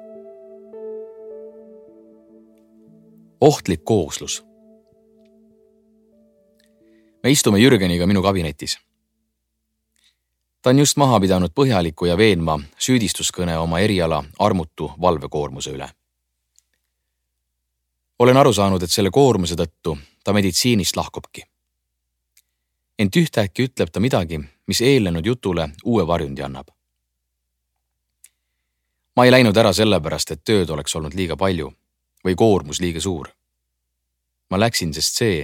Ohtlik kooslus. Me istume Jürgeniga minu kabinetis. Ta on just maha pidanud põhjaliku ja veenma süüdistuskõne oma eriala armutu valvekoormuse üle. Olen aru saanud, et selle koormuse tõttu ta meditsiinist lahkubki. Ent ühtäkki ütleb ta midagi, mis eelnenud jutule uue varjundi annab. Ma ei läinud ära sellepärast, et tööd oleks olnud liiga palju või koormus liiga suur. Ma läksin, sest see,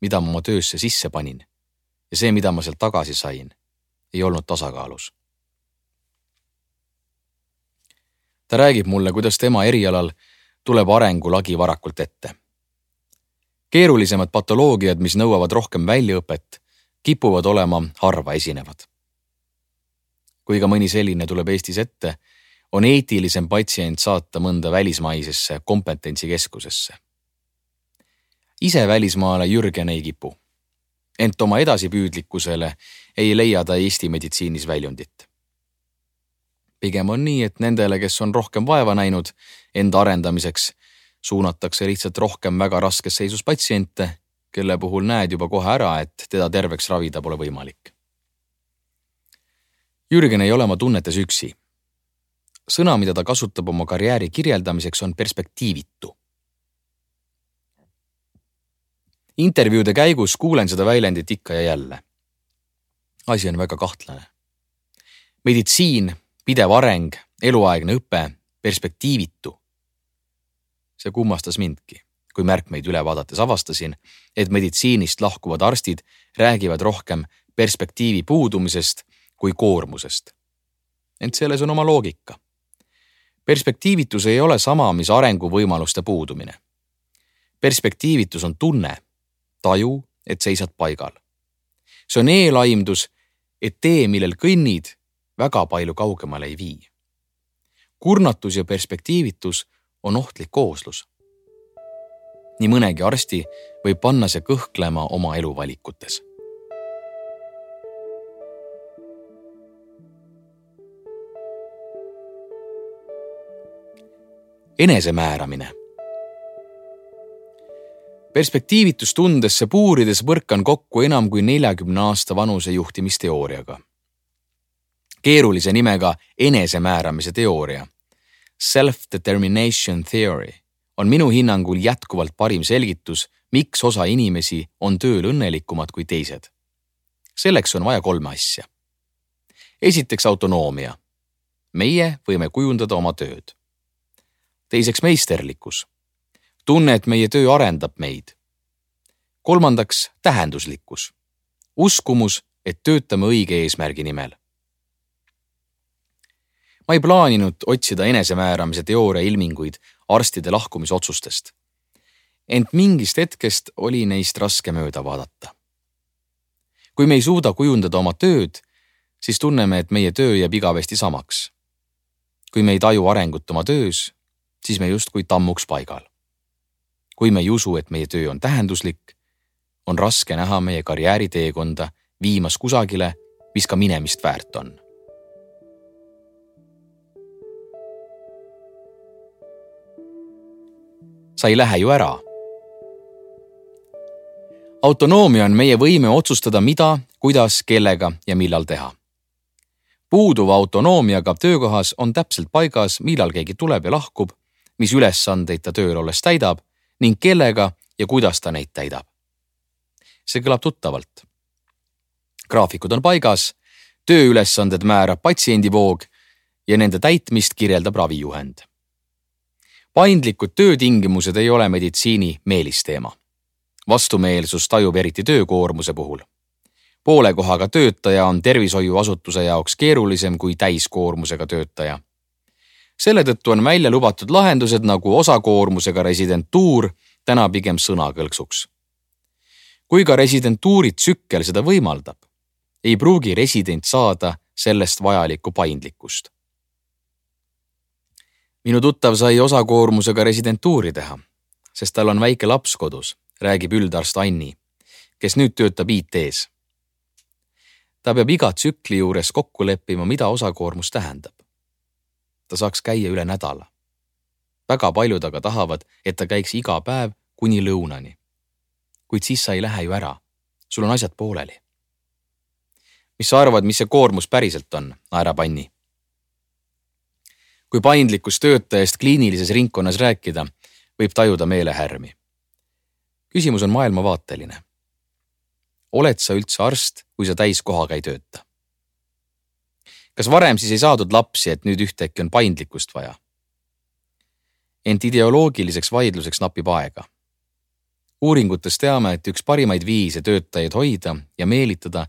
mida ma oma töösse sisse panin ja see, mida ma sealt tagasi sain, ei olnud tasakaalus. Ta räägib mulle, kuidas tema erialal tuleb arengulagi varakult ette. Keerulisemad patoloogiad, mis nõuavad rohkem väljaõpet, kipuvad olema harva esinevad. Kui ka mõni selline tuleb Eestis ette, on eetilisem patsient saata mõnda välismaisesse kompetentsikeskusesse. Ise välismaale Jürgen ei kipu, ent oma edasipüüdlikkusele ei leia ta Eesti meditsiinis väljundit. Pigem on nii, et nendele, kes on rohkem vaeva näinud enda arendamiseks, suunatakse lihtsalt rohkem väga raskes seisus patsiente, kelle puhul näed juba kohe ära, et teda terveks ravida pole võimalik. Jürgen ei ole oma tunnetes üksi. Sõna, mida ta kasutab oma karjääri kirjeldamiseks, on perspektiivitu. Intervjuude käigus kuulen seda väljendit ikka ja jälle. Asi on väga kahtlane. Meditsiin, pidev areng, eluaegne õpe, perspektiivitu. See kummastas mindki, kui märkmeid üle vaadates avastasin, et meditsiinist lahkuvad arstid räägivad rohkem perspektiivi puudumisest kui koormusest. Ent selles on oma loogika. Perspektiivitus ei ole sama, mis arenguvõimaluste puudumine. Perspektiivitus on tunne, taju, et seisad paigal. See on eelaimdus, et tee, millel kõnnid, väga palju kaugemale ei vii. Kurnatus ja perspektiivitus on ohtlik kooslus. Nii mõnegi arsti võib panna see kõhklema oma eluvalikutes. Enesemääramine. Perspektiivitustundesse puurides põrkan kokku enam kui neljakümne aasta vanuse juhtimisteooriaga. Keerulise nimega enesemääramise teooria, self-determination theory, on minu hinnangul jätkuvalt parim selgitus, miks osa inimesi on tööl õnnelikumad kui teised. Selleks on vaja kolme asja. Esiteks autonoomia. Meie võime kujundada oma tööd. Teiseks meisterlikkus. Tunne, et meie töö arendab meid. Kolmandaks tähenduslikkus. Uskumus, et töötame õige eesmärgi nimel. Ma ei plaaninud otsida enesemääramise teooria ilminguid arstide lahkumisotsustest. Ent mingist hetkest oli neist raske mööda vaadata. Kui me ei suuda kujundada oma tööd, siis tunneme, et meie töö jääb igavesti samaks. Kui me ei taju arengut oma töös, siis me justkui tammuks paigal. Kui me ei usu, et meie töö on tähenduslik, on raske näha meie karjääriteekonda viimas kusagile, mis ka minemist väärt on. Sa ei lähe ju ära. Autonoomia on meie võime otsustada, mida, kuidas, kellega ja millal teha. Puuduva autonoomiaga töökohas on täpselt paigas, millal keegi tuleb ja lahkub, mis ülesandeid ta tööl olles täidab ning kellega ja kuidas ta neid täidab. See kõlab tuttavalt. Graafikud on paigas, tööülesanded määrab patsiendivoog ja nende täitmist kirjeldab ravijuhend. Paindlikud töötingimused ei ole meditsiini meelisteema. Vastumeelsus tajub eriti töökoormuse puhul. Poole kohaga töötaja on tervishoiuasutuse jaoks keerulisem kui täiskoormusega töötaja. Selle tõttu on välja lubatud lahendused nagu osakoormusega residentuur täna pigem sõnakõlksuks. Kui ka residentuuri tsükkel seda võimaldab, ei pruugi resident saada sellest vajalikku paindlikkust. Minu tuttav sai osakoormusega residentuuri teha, sest tal on väike laps kodus, räägib üldarst Anni, kes nüüd töötab I T-s. Ta peab iga tsükli juures kokku leppima, mida osakoormus tähendab. Ta saaks käia üle nädala. Väga paljud aga tahavad, et ta käiks iga päev kuni lõunani. Kuid siis sa ei lähe ju ära. Sul on asjad pooleli. Mis sa arvad, mis see koormus päriselt on, naerab Anni? Kui paindlikkus töötajast kliinilises ringkonnas rääkida, võib tajuda meelehärmi. Küsimus on maailmavaateline. Oled sa üldse arst, kui sa täiskohaga ei tööta? kas varem siis ei saadud lapsi, et nüüd ühtäkki on paindlikkust vaja? Ent ideoloogiliseks vaidluseks napib aega. Uuringutes teame, et üks parimaid viise töötajaid hoida ja meelitada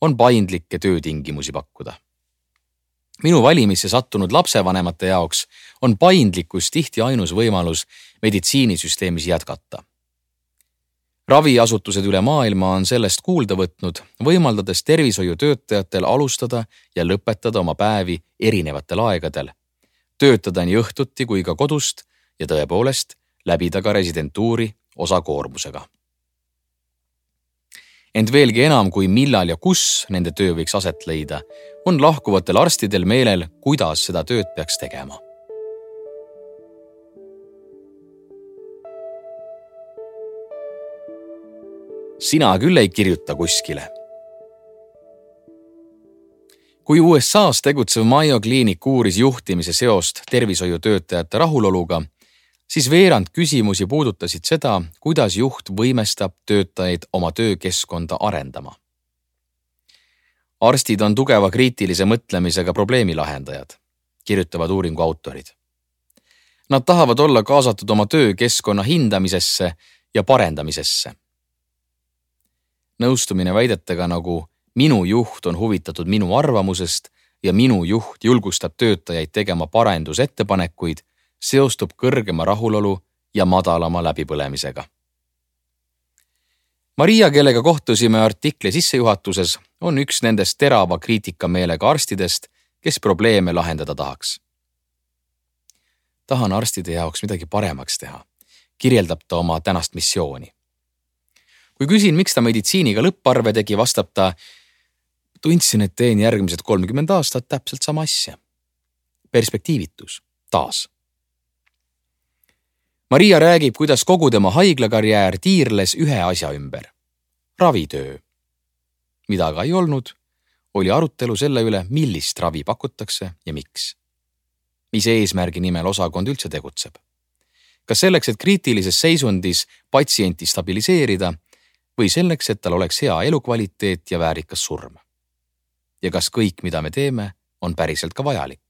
on paindlikke töötingimusi pakkuda. Minu valimisse sattunud lapsevanemate jaoks on paindlikkus tihti ainus võimalus meditsiinisüsteemis jätkata. Raviasutused üle maailma on sellest kuulda võtnud, võimaldades tervishoiutöötajatel alustada ja lõpetada oma päevi erinevatel aegadel, töötada nii õhtuti kui ka kodust ja tõepoolest läbida ka residentuuri osakoormusega. Ent veelgi enam kui millal ja kus nende töö võiks aset leida, on lahkuvatel arstidel meelel, kuidas seda tööd peaks tegema. Sina küll ei kirjuta kuskile. Kui U S A-s tegutsev Mayo Clinic uuris juhtimise seost tervishoiutöötajate rahuloluga, siis veerand küsimusi puudutasid seda, kuidas juht võimestab töötajaid oma töökeskkonda arendama. Arstid on tugeva kriitilise mõtlemisega probleemi lahendajad, kirjutavad uuringu autorid. Nad tahavad olla kaasatud oma töökeskkonna hindamisesse ja parendamisesse. Nõustumine väidetega nagu minu juht on huvitatud minu arvamusest ja minu juht julgustab töötajaid tegema parendusettepanekuid, seostub kõrgema rahulolu ja madalama läbipõlemisega. Maria, kellega kohtusime artikli sissejuhatuses, on üks nendest terava kriitikameelega arstidest, kes probleeme lahendada tahaks. Tahan arstide jaoks midagi paremaks teha, kirjeldab ta oma tänast missiooni. Kui küsin, miks ta meditsiiniga lõpparve tegi, vastab ta, tundsin, et teen järgmised kolmkümmend aastat täpselt sama asja. Perspektiivitus, taas. Maria räägib, kuidas kogu tema haiglakarjäär tiirles ühe asja ümber. Ravitöö. Mida aga ei olnud, oli arutelu selle üle, millist ravi pakutakse ja miks. Mis eesmärgi nimel osakond üldse tegutseb. Kas selleks, et kriitilises seisundis patsienti stabiliseerida või selleks, et tal oleks hea elukvaliteet ja väärikas surm. Ja kas kõik, mida me teeme, on päriselt ka vajalik.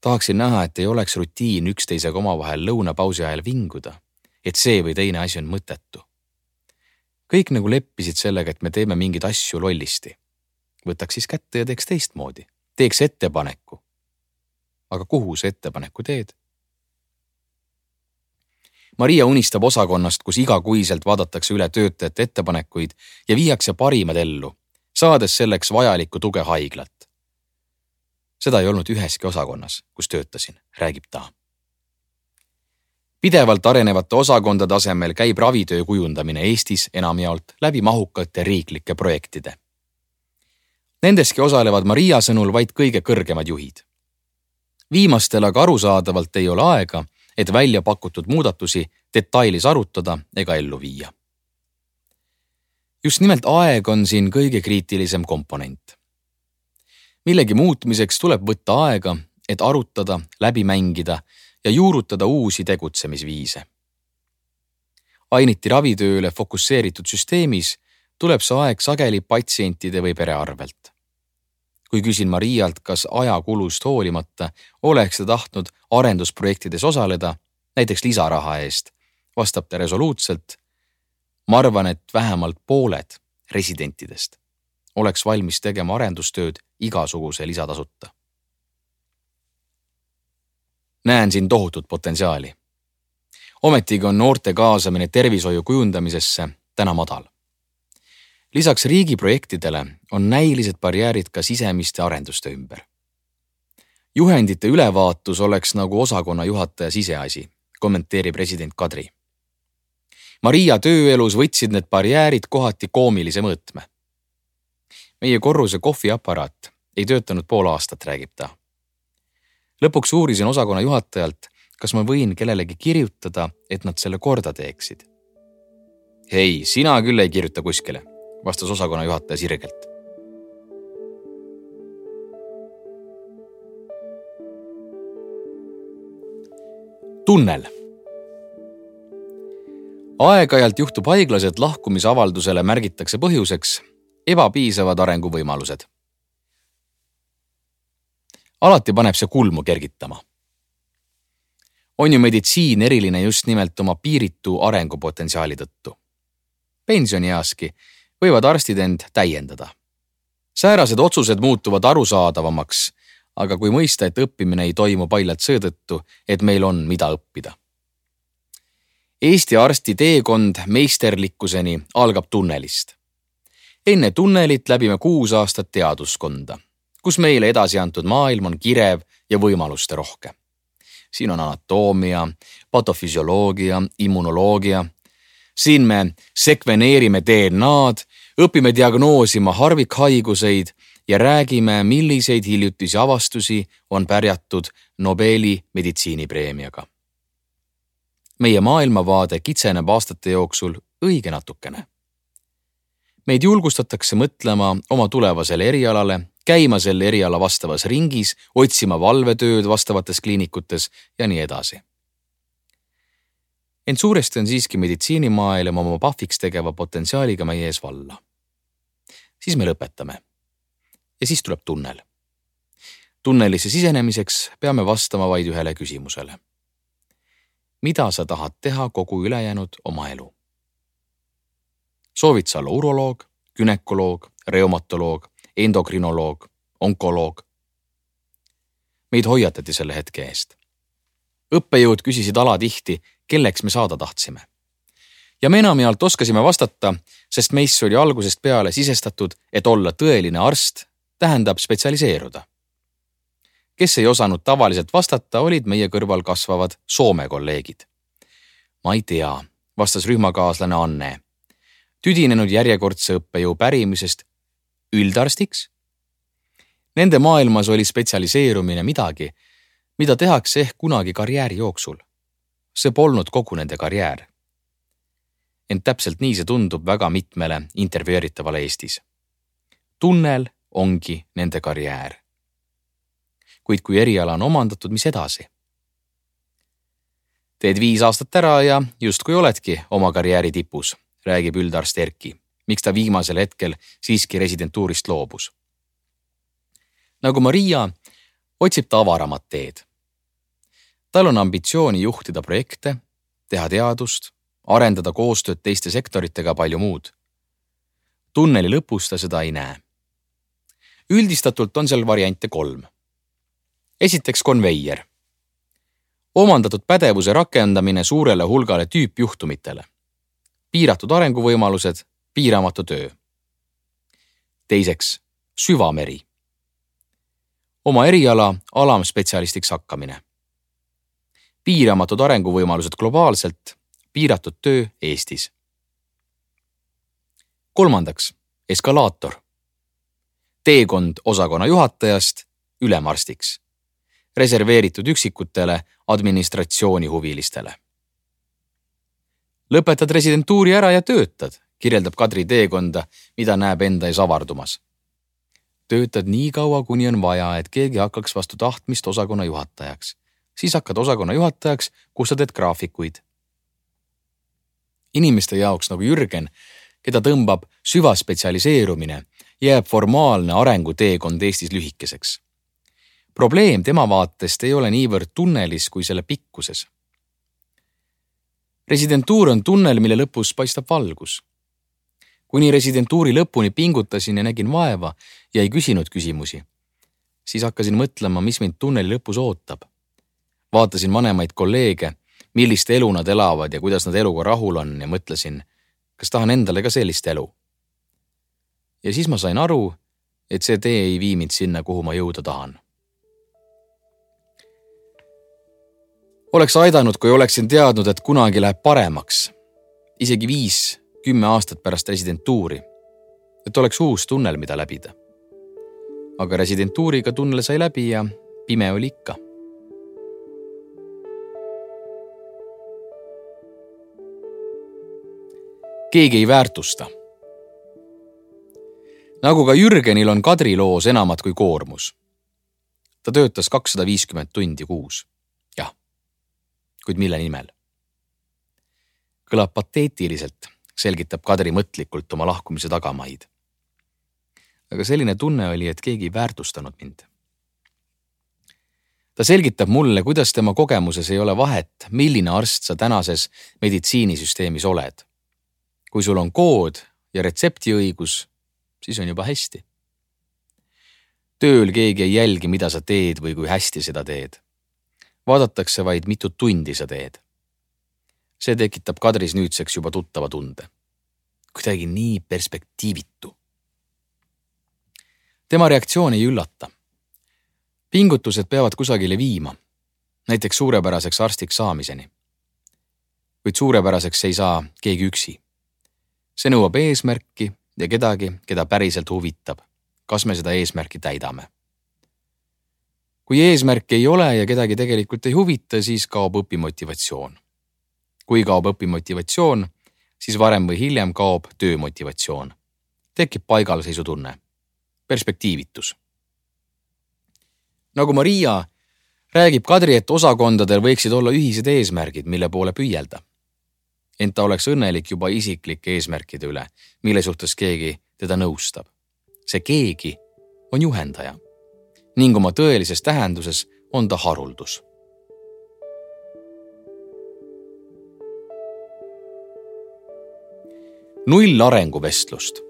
Tahaksin näha, et ei oleks rutiin üksteisega omavahel lõunapausi ajal vinguda, et see või teine asi on mõttetu. Kõik nagu leppisid sellega, et me teeme mingeid asju lollisti. Võtaks siis kätte ja teeks teistmoodi. Teeks ettepaneku. Aga kuhu see ettepaneku teed? Maria unistab osakonnast, kus igakuiselt vaadatakse üle töötajate ettepanekuid ja viiakse parimad ellu, saades selleks vajalikku tuge haiglat. Seda ei olnud üheski osakonnas, kus töötasin, räägib ta. Pidevalt arenevate osakondade asemel käib ravitöö kujundamine Eestis enamjaolt läbi mahukate riiklike projektide. Nendeski osalevad Maria sõnul vaid kõige kõrgemad juhid. Viimastel aga arusaadavalt ei ole aega, et välja pakutud muudatusi detailis arutada ega ellu viia. Just nimelt aeg on siin kõige kriitilisem komponent. Millegi muutmiseks tuleb võtta aega, et arutada, läbi mängida ja juurutada uusi tegutsemisviise. Ainiti ravitööle fokusseeritud süsteemis tuleb see aeg sageli patsientide või pere arvelt. Kui küsin Marialt, kas ajakulust hoolimata oleks ta tahtnud arendusprojektides osaleda, näiteks lisaraha eest, vastab ta resoluutselt, ma arvan, et vähemalt pooled residentidest oleks valmis tegema arendustööd igasuguse lisatasuta. Näen siin tohutut potentsiaali. Ometigi on noorte kaasamine tervishoiu kujundamisesse täna madal. Lisaks riigiprojektidele on näilised barjäärid ka sisemiste arenduste ümber. Juhendite ülevaatus oleks nagu osakonna juhataja siseasi, kommenteerib president Kadri. Maria tööelus võtsid need barjäärid kohati koomilise mõõtme. Meie korruse kohviaparaat ei töötanud pool aastat, räägib ta. Lõpuks uurisin osakonna juhatajalt, kas ma võin kellelegi kirjutada, et nad selle korda teeksid. Hei, sina küll ei kirjuta kuskile, vastas osakonna juhataja sirgelt. Tunnel. Aeg-ajalt juhtub haiglas, et lahkumisavaldusele märgitakse põhjuseks ebapiisavad arenguvõimalused. alati paneb see kulmu kergitama. On ju meditsiin eriline just nimelt oma piiritu arengupotentsiaali tõttu. Pensionieaski võivad arstid end täiendada. Säärased otsused muutuvad arusaadavamaks, aga kui mõista, et õppimine ei toimu paljalt seetõttu, et meil on mida õppida. Eesti arsti teekond meisterlikkuseni algab tunnelist. Enne tunnelit läbime kuus aastat teaduskonda, kus meile edasi antud maailm on kirev ja võimaluste rohke. Siin on anatoomia, patofüsioloogia, immunoloogia. Siin me sekveneerime D N A-d, õpime diagnoosima harvikhaiguseid ja räägime, milliseid hiljutisi avastusi on pärjatud Nobeli meditsiinipreemiaga. Meie maailmavaade kitseneb aastate jooksul õige natukene. Meid julgustatakse mõtlema oma tulevasele erialale, käima selle eriala vastavas ringis, otsima valvetööd vastavates kliinikutes ja nii edasi. Ent suuresti on siiski meditsiinimaailm oma pahviks tegeva potentsiaaliga meie ees valla. Siis me lõpetame. Ja siis tuleb tunnel. Tunnelisse sisenemiseks peame vastama vaid ühele küsimusele. Mida sa tahad teha kogu ülejäänud oma elu? Soovid sa olla uroloog, gynekoloog, reumatoloog, endokrinoloog, onkoloog? Meid hoiatati selle hetke eest. Õppejõud küsisid alatihti, kelleks me saada tahtsime. Ja me enamjaolt oskasime vastata, sest meist oli algusest peale sisestatud, et olla tõeline arst tähendab spetsialiseeruda. Kes ei osanud tavaliselt vastata, olid meie kõrval kasvavad Soome kolleegid. Ma ei tea, vastas rühmakaaslane Anne, tüdinenud järjekordse õppejõu pärimisest üldarstiks. Nende maailmas oli spetsialiseerumine midagi, mida tehakse ehk kunagi karjääri jooksul. See polnud kogu nende karjäär. Ent täpselt nii see tundub väga mitmele intervjueeritavale Eestis. Tunnel ongi nende karjäär. Kuid kui eriala on omandatud, mis edasi? Teed viis aastat ära ja justkui oledki oma karjääri tipus, räägib üldarst Erki, miks ta viimasel hetkel siiski residentuurist loobus. Nagu Maria, otsib ta avaramat teed. Tal on ambitsiooni juhtida projekte, teha teadust, arendada koostööd teiste sektoritega palju muud. Tunneli lõpus ta seda ei näe. Üldistatult on seal variante kolm. Esiteks konveier. Omandatud pädevuse rakendamine suurele hulgale tüüpjuhtumitele. Piiratud arenguvõimalused, piiramatu töö. Teiseks, süvameri. Oma eriala alamspetsialistiks hakkamine. Piiramatud arenguvõimalused globaalselt, piiratud töö Eestis. Kolmandaks, eskalaator. Teekond osakonna juhatajast ülemarstiks. Reserveeritud üksikutele administratsiooni huvilistele. Lõpetad residentuuri ära ja töötad, kirjeldab Kadri teekonda, mida näeb enda ees avardumas. Töötad nii kaua, kuni on vaja, et keegi hakkaks vastu tahtmist osakonna juhatajaks. Siis hakkad osakonna juhatajaks, kus sa teed graafikuid. Inimeste jaoks nagu Jürgen, keda tõmbab süvaspetsialiseerumine, jääb formaalne arenguteekond Eestis lühikeseks. Probleem tema vaatest ei ole niivõrd tunnelis kui selle pikkuses. Residentuur on tunnel, mille lõpus paistab valgus. Kuni residentuuri lõpuni pingutasin ja nägin vaeva ja ei küsinud küsimusi, siis hakkasin mõtlema, mis mind tunneli lõpus ootab. Vaatasin vanemaid kolleege, millist elu nad elavad ja kuidas nad eluga rahul on ja mõtlesin, kas tahan endale ka sellist elu. Ja siis ma sain aru, et see tee ei vii mind sinna, kuhu ma jõuda tahan. Oleks aidanud, kui oleksin teadnud, et kunagi läheb paremaks, isegi viis, kümme aastat pärast residentuuri, et oleks uus tunnel, mida läbida. Aga residentuuriga tunnel sai läbi ja pime oli ikka. Keegi ei väärtusta. Nagu ka Jürgenil on Kadri loos enamat kui koormus. Ta töötas kakssada viiskümmend tundi kuus. Jah, kuid mille nimel? Kõlab pateetiliselt, selgitab Kadri mõtlikult oma lahkumise tagamaid. Aga selline tunne oli, et keegi ei väärtustanud mind. ta selgitab mulle, kuidas tema kogemuses ei ole vahet, milline arst sa tänases meditsiinisüsteemis oled. Kui sul on kood ja retseptiõigus, siis on juba hästi. Tööl keegi ei jälgi, mida sa teed või kui hästi seda teed. Vaadatakse vaid mitu tundi sa teed. See tekitab Kadris nüüdseks juba tuttava tunde. Kuidagi nii perspektiivitu. Tema reaktsioon ei üllata. Pingutused peavad kusagile viima, näiteks suurepäraseks arstiks saamiseni. Kuid suurepäraseks ei saa keegi üksi. See nõuab eesmärki ja kedagi, keda päriselt huvitab, kas me seda eesmärki täidame. Kui eesmärki ei ole ja kedagi tegelikult ei huvita, siis kaob õpimotivatsioon. Kui kaob õpimotivatsioon, siis varem või hiljem kaob töömotivatsioon. Tekib paigalseisutunne, perspektiivitus. Nagu Maria räägib Kadri, et osakondadel võiksid olla ühised eesmärgid, mille poole püüelda. Ent ta oleks õnnelik juba isiklike eesmärkide üle, mille suhtes keegi teda nõustab. See keegi on juhendaja ning oma tõelises tähenduses on ta haruldus. Null arenguvestlust.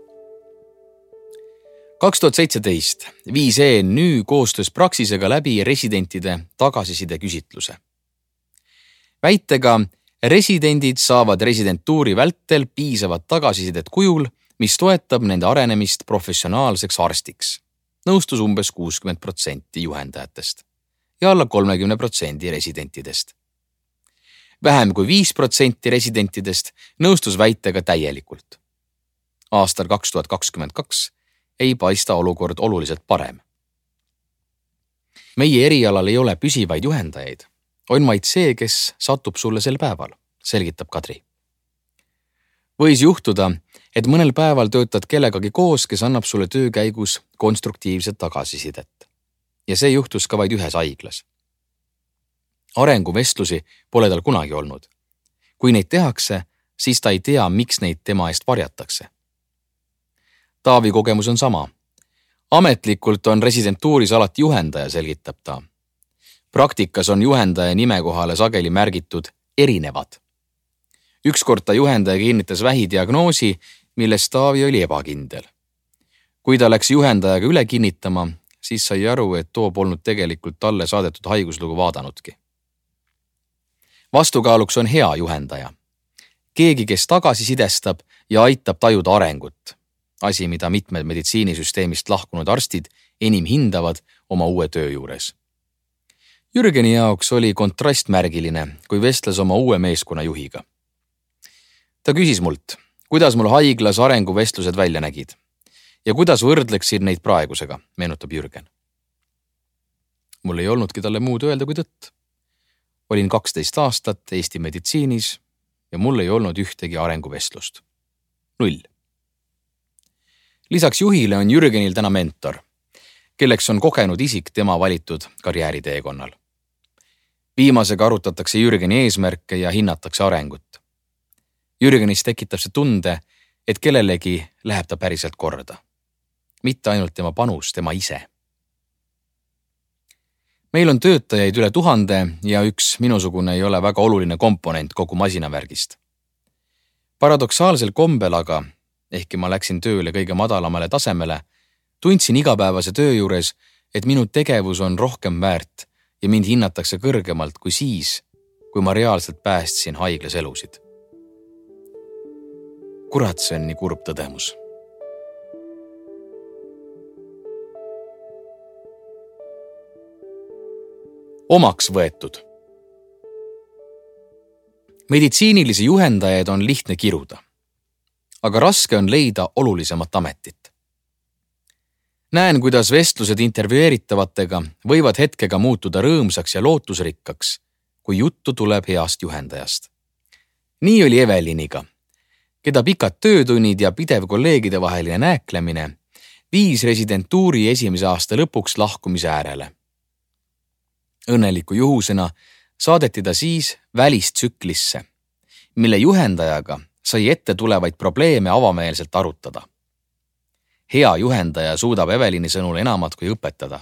kaks tuhat seitseteist viis E N Ü koostöös Praxisega läbi residentide tagasiside küsitluse. Väitega residendid saavad residentuuri vältel piisavat tagasisidet kujul, mis toetab nende arenemist professionaalseks arstiks. Nõustus umbes kuuskümmend protsenti juhendajatest ja alla kolmekümne protsendi residentidest. Vähem kui viis protsenti residentidest nõustus väitega täielikult. Aastal kaks tuhat kakskümmend kaks ei paista olukord oluliselt parem. Meie erialal ei ole püsivaid juhendajaid, on vaid see, kes satub sulle sel päeval, selgitab Kadri. Võis juhtuda, et mõnel päeval töötad kellegagi koos, kes annab sulle töö käigus konstruktiivset tagasisidet. Ja see juhtus ka vaid ühes haiglas. Arenguvestlusi pole tal kunagi olnud. Kui neid tehakse, siis ta ei tea, miks neid tema eest varjatakse. Taavi kogemus on sama. Ametlikult on residentuuris alati juhendaja, selgitab ta. Praktikas on juhendaja nime kohale sageli märgitud erinevad. Ükskord ta juhendaja kinnitas vähidiagnoosi, milles Taavi oli ebakindel. Kui ta läks juhendajaga üle kinnitama, siis sai aru, et too polnud tegelikult talle saadetud haiguslugu vaadanudki. Vastukaaluks on hea juhendaja. Keegi, kes tagasisidestab ja aitab tajuda arengut. Asi, mida mitmed meditsiinisüsteemist lahkunud arstid enim hindavad oma uue töö juures. Jürgeni jaoks oli kontrast märgiline, kui vestles oma uue meeskonna juhiga. Ta küsis mult, kuidas mul haiglas arenguvestlused välja nägid ja kuidas võrdleksid neid praegusega, meenutab Jürgen. Mul ei olnudki talle muud öelda kui tõtt. Olin kaksteist aastat Eesti meditsiinis ja mul ei olnud ühtegi arenguvestlust. Null. Lisaks juhile on Jürgenil täna mentor, kelleks on kogenud isik tema valitud karjääriteekonnal. Viimasega arutatakse Jürgeni eesmärke ja hinnatakse arengut. Jürgenis tekitab see tunde, et kellelegi läheb ta päriselt korda. Mitte ainult tema panus, tema ise. Meil on töötajaid üle tuhande ja üks minusugune ei ole väga oluline komponent kogu masinavärgist. Paradoksaalsel kombel aga, ehkki ma läksin tööle kõige madalamale tasemele, tundsin igapäevase töö juures, et minu tegevus on rohkem väärt ja mind hinnatakse kõrgemalt kui siis, kui ma reaalselt päästsin haiglas elusid. Kurat, see on nii kurb tõdemus. Omaks võetud. Meditsiinilisi juhendajaid on lihtne kiruda, aga raske on leida olulisemat ametit. Näen, kuidas vestlused intervjueeritavatega võivad hetkega muutuda rõõmsaks ja lootusrikkaks, kui juttu tuleb heast juhendajast. Nii oli Eveliniga, keda pikad töötunnid ja pidev kolleegide vaheline nääklemine viis residentuuri esimese aasta lõpuks lahkumise äärele. Õnneliku juhusena saadeti ta siis välistsüklisse, mille juhendajaga sai ette tulevaid probleeme avameelselt arutada. Hea juhendaja suudab Evelini sõnul enamat kui õpetada.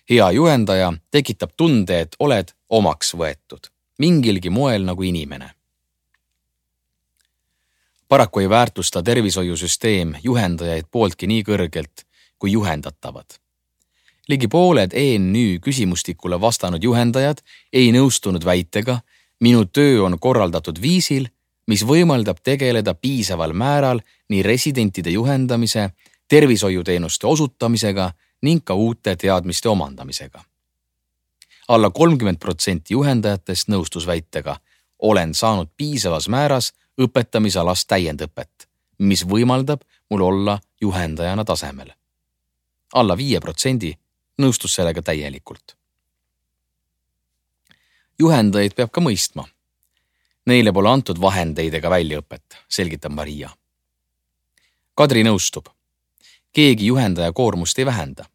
hea juhendaja tekitab tunde, et oled omaks võetud, mingilgi moel nagu inimene. Paraku ei väärtusta tervishoiusüsteem juhendajaid pooltki nii kõrgelt kui juhendatavad. Ligi pooled E N Ü küsimustikule vastanud juhendajad ei nõustunud väitega, minu töö on korraldatud viisil, mis võimaldab tegeleda piisaval määral nii residentide juhendamise, tervishoiuteenuste osutamisega ning ka uute teadmiste omandamisega. Alla kolmkümmend protsenti juhendajatest nõustus väitega, olen saanud piisavas määras õpetamisalast täiendõpet, mis võimaldab mul olla juhendajana tasemel. Alla viie protsendi nõustus sellega täielikult. Juhendajaid peab ka mõistma. Neile pole antud vahendeid ega väljaõpet, selgitab Maria. Kadri nõustub. Keegi juhendaja koormust ei vähenda.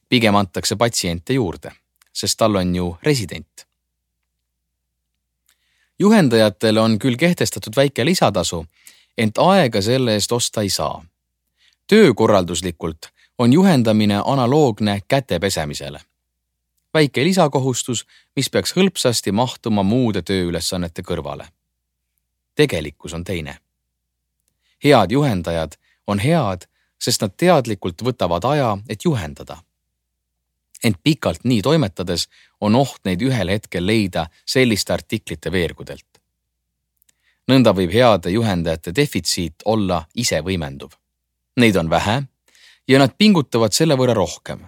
Pigem antakse patsiente juurde, sest tal on ju resident. Juhendajatele on küll kehtestatud väike lisatasu, ent aega selle eest osta ei saa. Töökorralduslikult on juhendamine analoogne käte pesemisele. Väike lisakohustus, mis peaks hõlpsasti mahtuma muude tööülesannete kõrvale. Tegelikkus on teine. Head juhendajad on head, sest nad teadlikult võtavad aja, et juhendada. Ent pikalt nii toimetades on oht neid ühel hetkel leida selliste artiklite veergudelt. Nõnda võib heade juhendajate defitsiit olla ise võimenduv. Neid on vähe ja nad pingutavad selle võrra rohkem,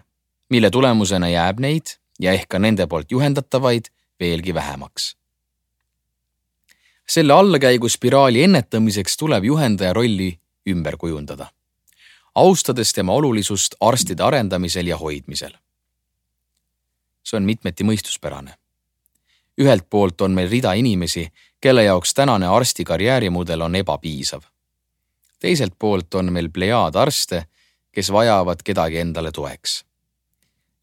mille tulemusena jääb neid ja ehk ka nende poolt juhendatavaid veelgi vähemaks. Selle allakäigu spiraali ennetamiseks tuleb juhendaja rolli ümber kujundada, austades tema olulisust arstide arendamisel ja hoidmisel. See on mitmeti mõistuspärane. Ühelt poolt on meil rida inimesi, kelle jaoks tänane arsti karjäärimudel on ebapiisav. Teiselt poolt on meil plejaad arste, kes vajavad kedagi endale toeks.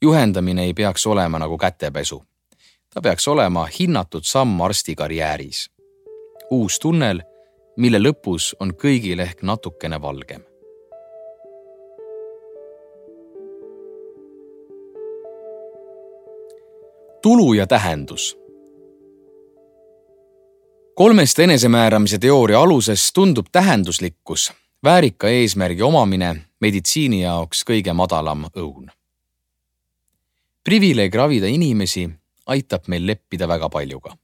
Juhendamine ei peaks olema nagu kätepesu. Ta peaks olema hinnatud samm arsti karjääris. Uus tunnel, mille lõpus on kõigil ehk natukene valgem. Tulu ja tähendus. Kolmest enesemääramise teooria aluses tundub tähenduslikkus, väärika eesmärgi omamine meditsiini jaoks kõige madalam õun. Privileeg ravida inimesi aitab meil leppida väga paljuga.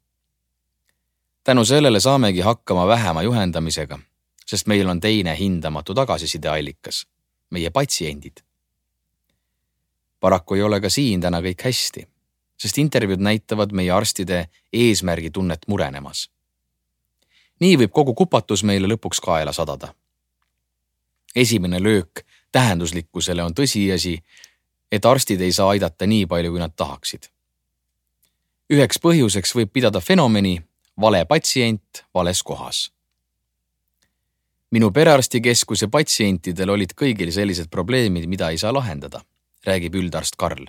Tänu sellele saamegi hakkama vähema juhendamisega, sest meil on teine hindamatu tagasisideallikas, meie patsiendid. Paraku ei ole ka siin täna kõik hästi, sest intervjuud näitavad meie arstide eesmärgi tunnet murenemas. Nii võib kogu kupatus meile lõpuks kaela sadada. Esimene löök tähenduslikkusele on tõsiasi, et arstid ei saa aidata nii palju, kui nad tahaksid. Üheks põhjuseks võib pidada fenomeni vale patsient vales kohas. Minu perearstikeskuse patsientidel olid kõigil sellised probleemid, mida ei saa lahendada, räägib üldarst Karl.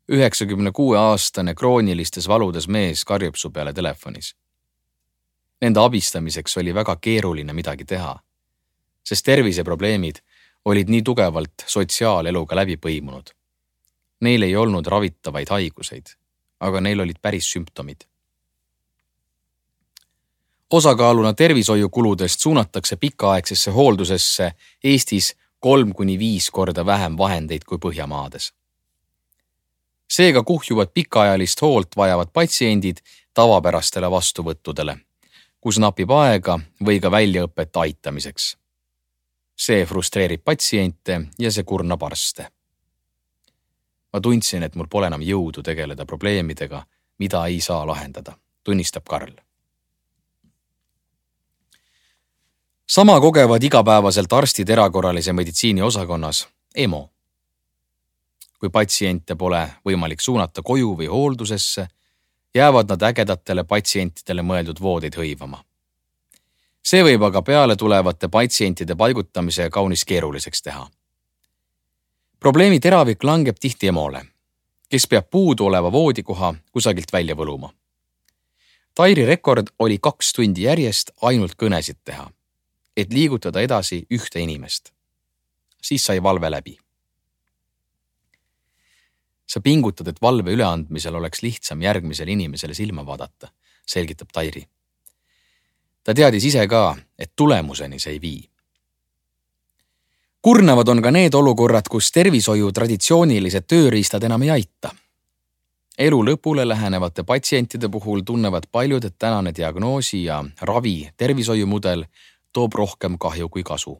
üheksakümne kuue aastane kroonilistes valudes mees karjub su peale telefonis. Nende abistamiseks oli väga keeruline midagi teha, sest terviseprobleemid olid nii tugevalt sotsiaaleluga läbi põimunud. Neil ei olnud ravitavaid haiguseid, aga neil olid päris sümptomid. Osakaaluna tervishoiukuludest suunatakse pikaaegsesse hooldusesse Eestis kolm kuni viis korda vähem vahendeid kui Põhjamaades. Seega kuhjuvad pikaajalist hoolt vajavad patsiendid tavapärastele vastuvõttudele, kus napib aega või ka väljaõpet aitamiseks. See frustreerib patsiente ja see kurnab arste. Ma tundsin, et mul pole enam jõudu tegeleda probleemidega, mida ei saa lahendada, tunnistab Karl. Sama kogevad igapäevaselt arstid erakorralise meditsiini osakonnas E M O. Kui patsiente pole võimalik suunata koju või hooldusesse, jäävad nad ägedatele patsientidele mõeldud voodeid hõivama. See võib aga peale tulevate patsientide paigutamise kaunis keeruliseks teha. Probleemi teravik langeb tihti E M O-le, kes peab puudu oleva voodikoha kusagilt välja võluma. Tairi rekord oli kaks tundi järjest ainult kõnesid teha, et liigutada edasi ühte inimest. Siis sai valve läbi. sa pingutad, et valve üleandmisel oleks lihtsam järgmisele inimesele silma vaadata, selgitab Tairi. Ta teadis ise ka, et tulemuseni see ei vii. Kurnavad on ka need olukorrad, kus tervishoiu traditsioonilised tööriistad enam ei aita. Elu lõpule lähenevate patsientide puhul tunnevad paljud, et tänane diagnoosi ja ravi tervishoiumudel toob rohkem kahju kui kasu.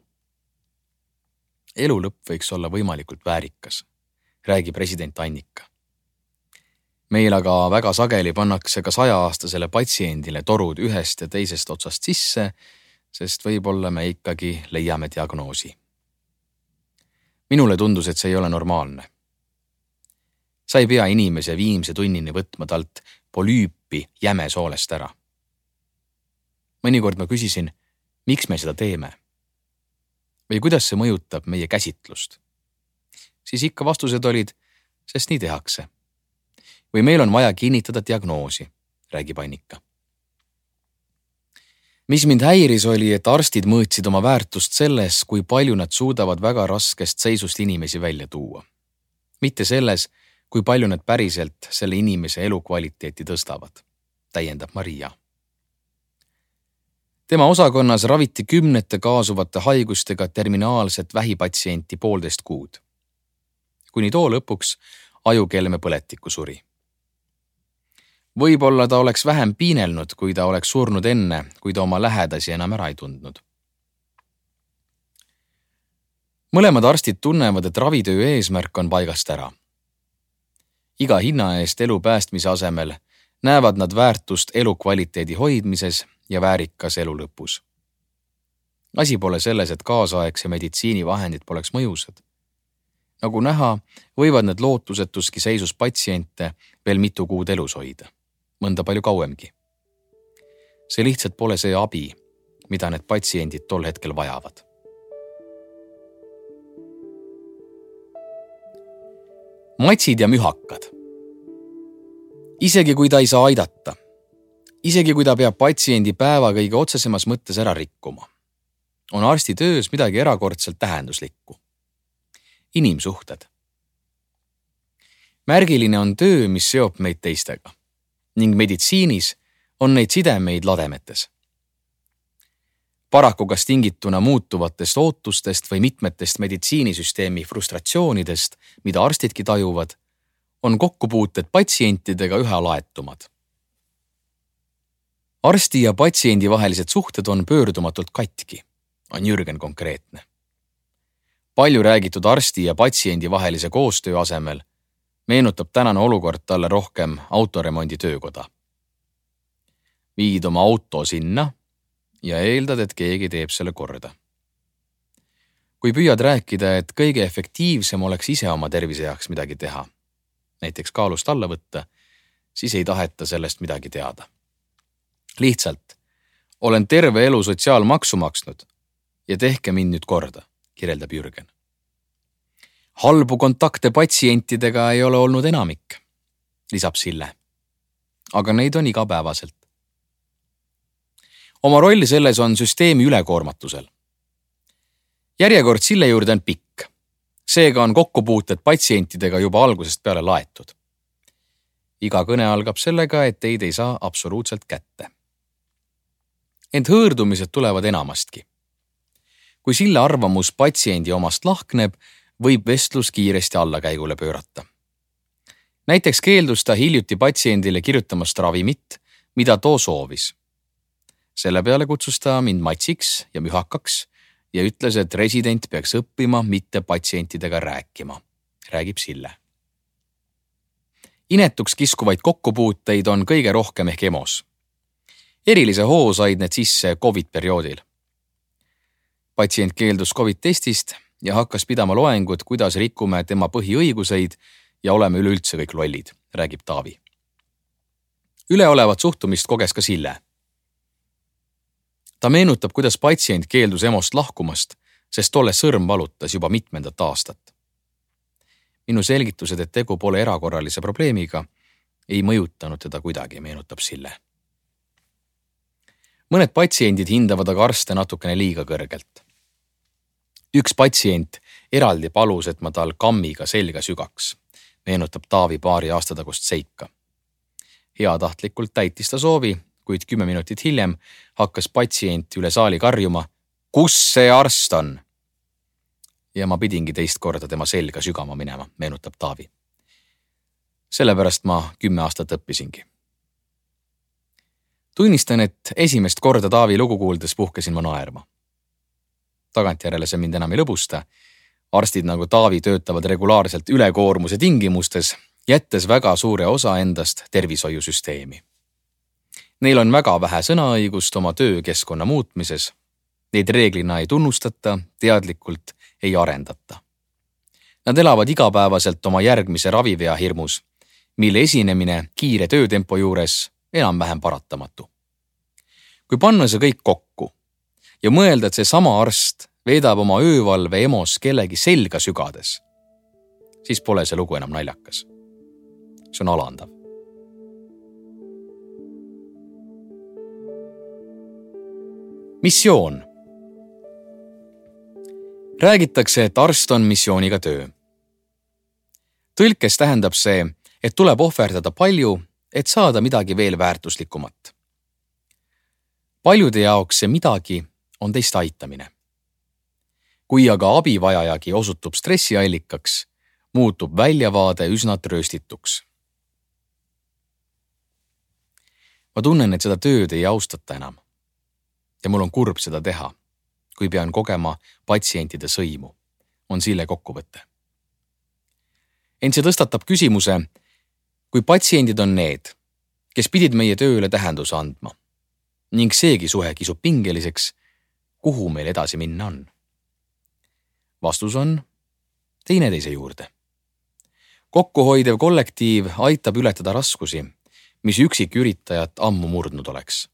Elu lõpp võiks olla võimalikult väärikas, räägib president Annika. Meil aga väga sageli pannakse ka sajaaastasele patsiendile torud ühest ja teisest otsast sisse, sest võib-olla me ikkagi leiame diagnoosi. Minule tundus, et see ei ole normaalne. Sa ei pea inimese viimse tunnini võtma talt polüüpi jäme soolest ära. Mõnikord ma küsisin, miks me seda teeme? Või kuidas see mõjutab meie käsitlust? Siis ikka vastused olid, sest nii tehakse. Või meil on vaja kinnitada diagnoosi, räägib Annika. Mis mind häiris oli, et arstid mõõtsid oma väärtust selles, kui palju nad suudavad väga raskest seisust inimesi välja tuua. Mitte selles, kui palju nad päriselt selle inimese elukvaliteeti tõstavad, täiendab Maria. Tema osakonnas raviti kümnete kaasuvate haigustega terminaalset vähipatsienti poolteist kuud. Kuni too lõpuks ajukelme põletikku suri. Võib-olla ta oleks vähem piinelnud, kui ta oleks surnud enne, kui ta oma lähedasi enam ära ei tundnud. Mõlemad arstid tunnevad, et ravitöö eesmärk on paigast ära. Iga hinna eest elu päästmise asemel näevad nad väärtust elukvaliteedi hoidmises ja väärikas elu lõpus. Asi pole selles, et kaasaegse meditsiinivahendid poleks mõjusad. Nagu näha, võivad need lootusetuski seisus patsiente veel mitu kuud elus hoida, mõnda palju kauemgi. See lihtsalt pole see abi, mida need patsiendid tol hetkel vajavad. Matsid ja mühakad. Isegi kui ta ei saa aidata, isegi kui ta peab patsiendi päeva kõige otsesemas mõttes ära rikkuma, on arsti töös midagi erakordselt tähenduslikku. Inimsuhted. Märgiline on töö, mis seob meid teistega, ning meditsiinis on neid sidemeid lademetes. Paraku kas tingituna muutuvatest ootustest või mitmetest meditsiinisüsteemi frustratsioonidest, mida arstidki tajuvad, on kokkupuuted patsientidega üha laetumad. Arsti ja patsiendi vahelised suhted on pöördumatult katki, on Jürgen konkreetne. Palju räägitud arsti ja patsiendi vahelise koostöö asemel meenutab tänane olukord talle rohkem autoremondi töökoda. Viid oma auto sinna ja eeldad, et keegi teeb selle korda. Kui püüad rääkida, et kõige efektiivsem oleks ise oma tervise jaoks midagi teha, näiteks kaalust alla võtta, siis ei taheta sellest midagi teada. Lihtsalt, olen terve elu sotsiaalmaksu maksnud ja tehke mind nüüd korda, kirjeldab Jürgen. Halbu kontakte patsientidega ei ole olnud enamik, lisab Sille. Aga neid on igapäevaselt. Oma roll selles on süsteemi ülekoormatusel. Järjekord Sille juurde on pikk. Seega on kokkupuuted patsientidega juba algusest peale laetud. Iga kõne algab sellega, et teid ei saa absoluutselt kätte. Ent hõõrdumised tulevad enamastki. Kui Sille arvamus patsiendi omast lahkneb, võib vestlus kiiresti allakäigule pöörata. Näiteks keeldus ta hiljuti patsiendile kirjutamast ravimit, mida too soovis. Selle peale kutsus ta mind matsiks ja mühakaks ja ütles, et resident peaks õppima mitte patsientidega rääkima, räägib Sille. Inetuks kiskuvaid kokkupuuteid on kõige rohkem ehk emos. Erilise hoo said need sisse COVID-perioodil. Patsient keeldus COVID-testist ja hakkas pidama loengut, kuidas rikume tema põhiõiguseid ja oleme üleüldse kõik lollid, räägib Taavi. Üleolevat suhtumist koges ka Sille. Ta meenutab, kuidas patsient keeldus emost lahkumast, sest tolle sõrm valutas juba mitmendat aastat. Minu selgitused, et tegu pole erakorralise probleemiga, ei mõjutanud teda kuidagi, meenutab Sille. Mõned patsiendid hindavad aga arste natukene liiga kõrgelt. Üks patsient eraldi palus, et ma tal kammiga selga sügaks. meenutab Taavi paari aasta tagust seika. Heatahtlikult täitis ta soovi, kuid kümme minutit hiljem hakkas patsient üle saali karjuma, kus see arst on? Ja ma pidingi teist korda tema selga sügama minema, meenutab Taavi. Sellepärast ma kümme aastat õppisingi. Tunnistan, et esimest korda Taavi lugu kuuldes puhkesin ma naerma. Tagantjärele see mind enam ei lõbusta. Arstid nagu Taavi töötavad regulaarselt ülekoormuse tingimustes, jättes väga suure osa endast tervishoiusüsteemi. Neil on väga vähe sõnaõigust oma töökeskkonna muutmises. Neid reeglina ei tunnustata, teadlikult ei arendata. Nad elavad igapäevaselt oma järgmise ravivea hirmus, mille esinemine kiire töötempo juures enam-vähem paratamatu. Kui panna see kõik kokku ja mõelda, et see sama arst veedab oma öövalve emos kellegi selga sügades, siis pole see lugu enam naljakas. See on alandav. Missioon. Räägitakse, et arst on missiooniga töö. Tõlkes tähendab see, et tuleb ohverdada palju, et saada midagi veel väärtuslikumat. Paljude jaoks see midagi on teist aitamine. Kui aga abivajajagi osutub stressiallikaks, muutub väljavaade üsna trööstituks. Ma tunnen, et seda tööd ei austata enam. Ja mul on kurb seda teha, kui pean kogema patsientide sõimu, on Sille kokkuvõte. Ent see tõstatab küsimuse, kui patsiendid on need, kes pidid meie tööle tähenduse andma, ning seegi suhe kisub pingeliseks, kuhu meil edasi minna on. Vastus on teineteise juurde. Kokkuhoidev kollektiiv aitab ületada raskusi, mis üksik üritajat ammu murdnud oleks.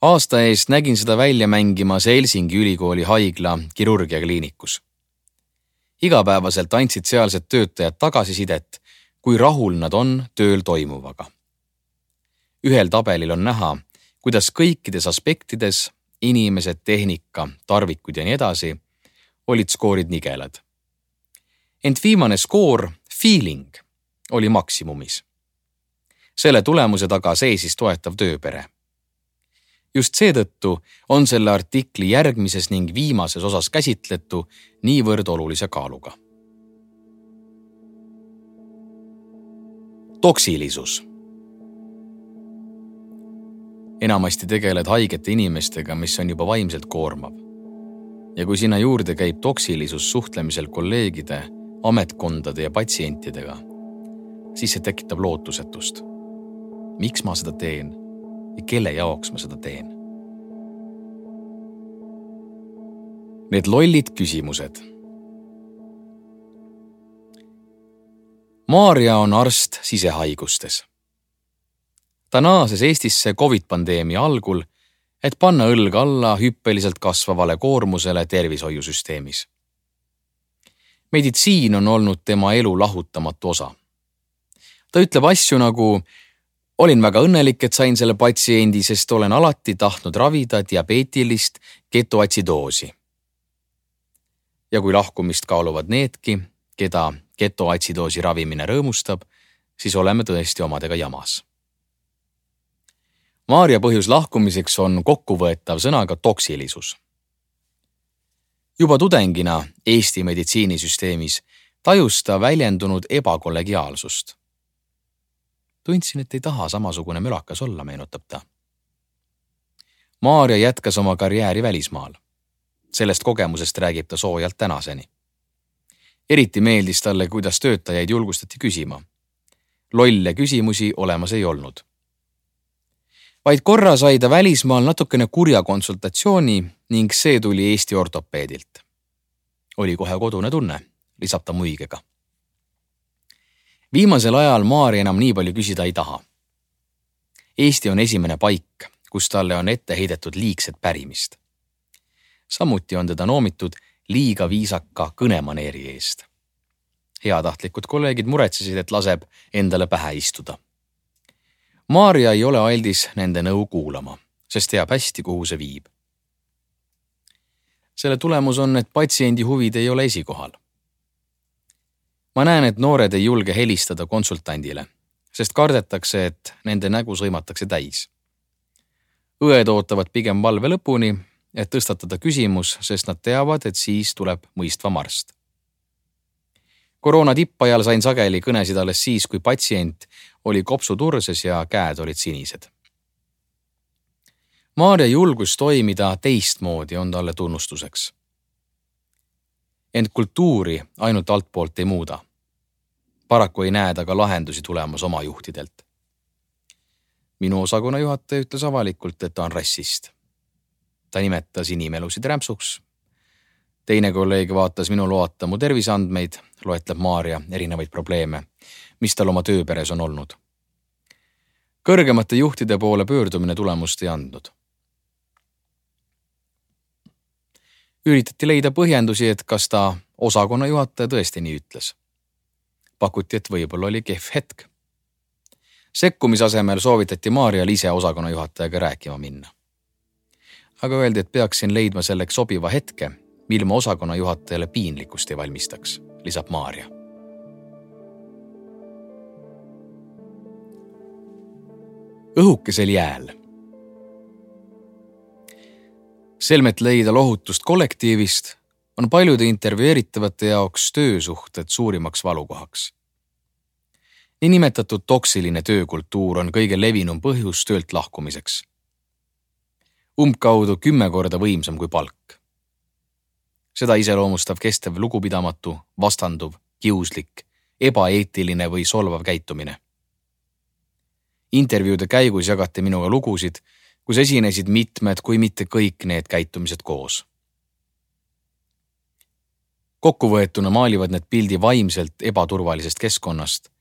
Aasta eest nägin seda välja mängimas Helsingi ülikooli haigla kirurgiakliinikus. Igapäevaselt andsid sealsed töötajad tagasisidet, kui rahul nad on tööl toimuvaga. Ühel tabelil on näha, kuidas kõikides aspektides, inimesed, tehnika, tarvikud ja nii edasi, olid skoorid nigelad. Ent viimane skoor, feeling, oli maksimumis. Selle tulemuse taga seisis toetav tööpere. Just seetõttu on selle artikli järgmises ning viimases osas käsitletu niivõrd olulise kaaluga. Toksilisus. Enamasti tegeled haigete inimestega, mis on juba vaimselt koormav. Ja kui sinna juurde käib toksilisus suhtlemisel kolleegide, ametkondade ja patsientidega, siis see tekitab lootusetust. Miks ma seda teen ja kelle jaoks ma seda teen? Need lollid küsimused. Maarja on arst sisehaigustes. Ta naases Eestisse COVID-pandeemia algul, et panna õlg alla hüppeliselt kasvavale koormusele tervishoiusüsteemis. Meditsiin on olnud tema elu lahutamatu osa. Ta ütleb asju nagu: olin väga õnnelik, et sain selle patsiendi, sest olen alati tahtnud ravida diabeetilist ketoatsidoosi. Ja kui lahkumist kaaluvad needki, keda ketoatsidoosi ravimine rõõmustab, siis oleme tõesti omadega jamas. Maarja põhjus lahkumiseks on kokkuvõetav sõnaga toksilisus. Juba tudengina Eesti meditsiinisüsteemis tajus ta väljendunud ebakollegiaalsust. Tundsin, et ei taha samasugune mölakas olla, meenutab ta. Maarja jätkas oma karjääri välismaal. Sellest kogemusest räägib ta soojalt tänaseni. Eriti meeldis talle, kuidas töötajaid julgustati küsima. Lolle küsimusi olemas ei olnud. Vaid korra sai ta välismaal natukene kurja konsultatsiooni ning see tuli Eesti ortopeedilt. Oli kohe kodune tunne, lisab ta muigega. Viimasel ajal Maarja enam nii palju küsida ei taha. Eesti on esimene paik, kus talle on ette heidetud liigset pärimist. Samuti on teda noomitud liiga viisaka kõnemaneeri eest. Heatahtlikud kolleegid muretsesid, et laseb endale pähe istuda. Maarja ei ole aldis nende nõu kuulama, sest teab hästi, kuhu see viib. Selle tulemus on, et patsiendi huvid ei ole esikohal. ma näen, et noored ei julge helistada konsultandile, sest kardetakse, et nende nägu sõimatakse täis. Õed ootavad pigem valve lõpuni, et tõstatada küsimus, sest nad teavad, et siis tuleb mõistvam arst. Koroona tippajal sain sageli kõnesid alles siis, kui patsient oli kopsuturses ja käed olid sinised. Maarja julgus toimida teistmoodi on talle tunnustuseks. Ent kultuuri ainult altpoolt ei muuda. Paraku ei näe ta ka lahendusi tulemas oma juhtidelt. Minu osakonna juhataja ütles avalikult, et ta on rassist. Ta nimetas inimelusid rämpsuks. Teine kolleeg vaatas minu loata mu terviseandmeid, loetleb Maarja erinevaid probleeme, mis tal oma tööperes on olnud. Kõrgemate juhtide poole pöördumine tulemust ei andnud. Üritati leida põhjendusi, et kas ta osakonna juhataja tõesti nii ütles. Pakuti, et võib-olla oli kehv hetk. Sekkumisasemel soovitati Maarjal ise osakonna juhatajaga rääkima minna. Aga öeldi, et peaksin leidma selleks sobiva hetke, mil ma osakonna juhatajale piinlikkust ei valmistaks, lisab Maarja. Õhukesel jääl. Selmet leida lohutust kollektiivist on paljude intervjueeritavate jaoks töösuhted suurimaks valukohaks. Niinimetatud toksiline töökultuur on kõige levinum põhjus töölt lahkumiseks. Umbkaudu kümme korda võimsam kui palk. Seda iseloomustav kestev lugupidamatu, vastanduv, kiuslik, ebaeetiline või solvav käitumine. Intervjuude käigus jagati minuga lugusid, kus esinesid mitmed, kui mitte kõik need käitumised koos. Kokkuvõetuna maalivad need pildi vaimselt ebaturvalisest keskkonnast,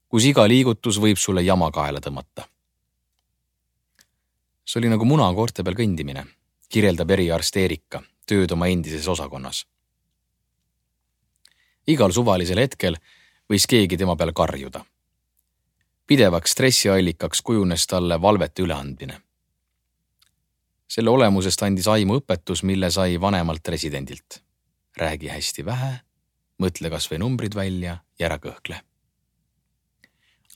kus iga liigutus võib sulle jama kaela tõmmata. See oli nagu munakoorte peal kõndimine, kirjeldab eriarst Erika, tööd oma endises osakonnas. Igal suvalisel hetkel võis keegi tema peal karjuda. Pidevaks stressiallikaks kujunes talle valvete üleandmine. Selle olemusest andis aimu õpetus, mille sai vanemalt residendilt. Räägi hästi vähe, mõtle kas või numbrid välja ja ära kõhkle.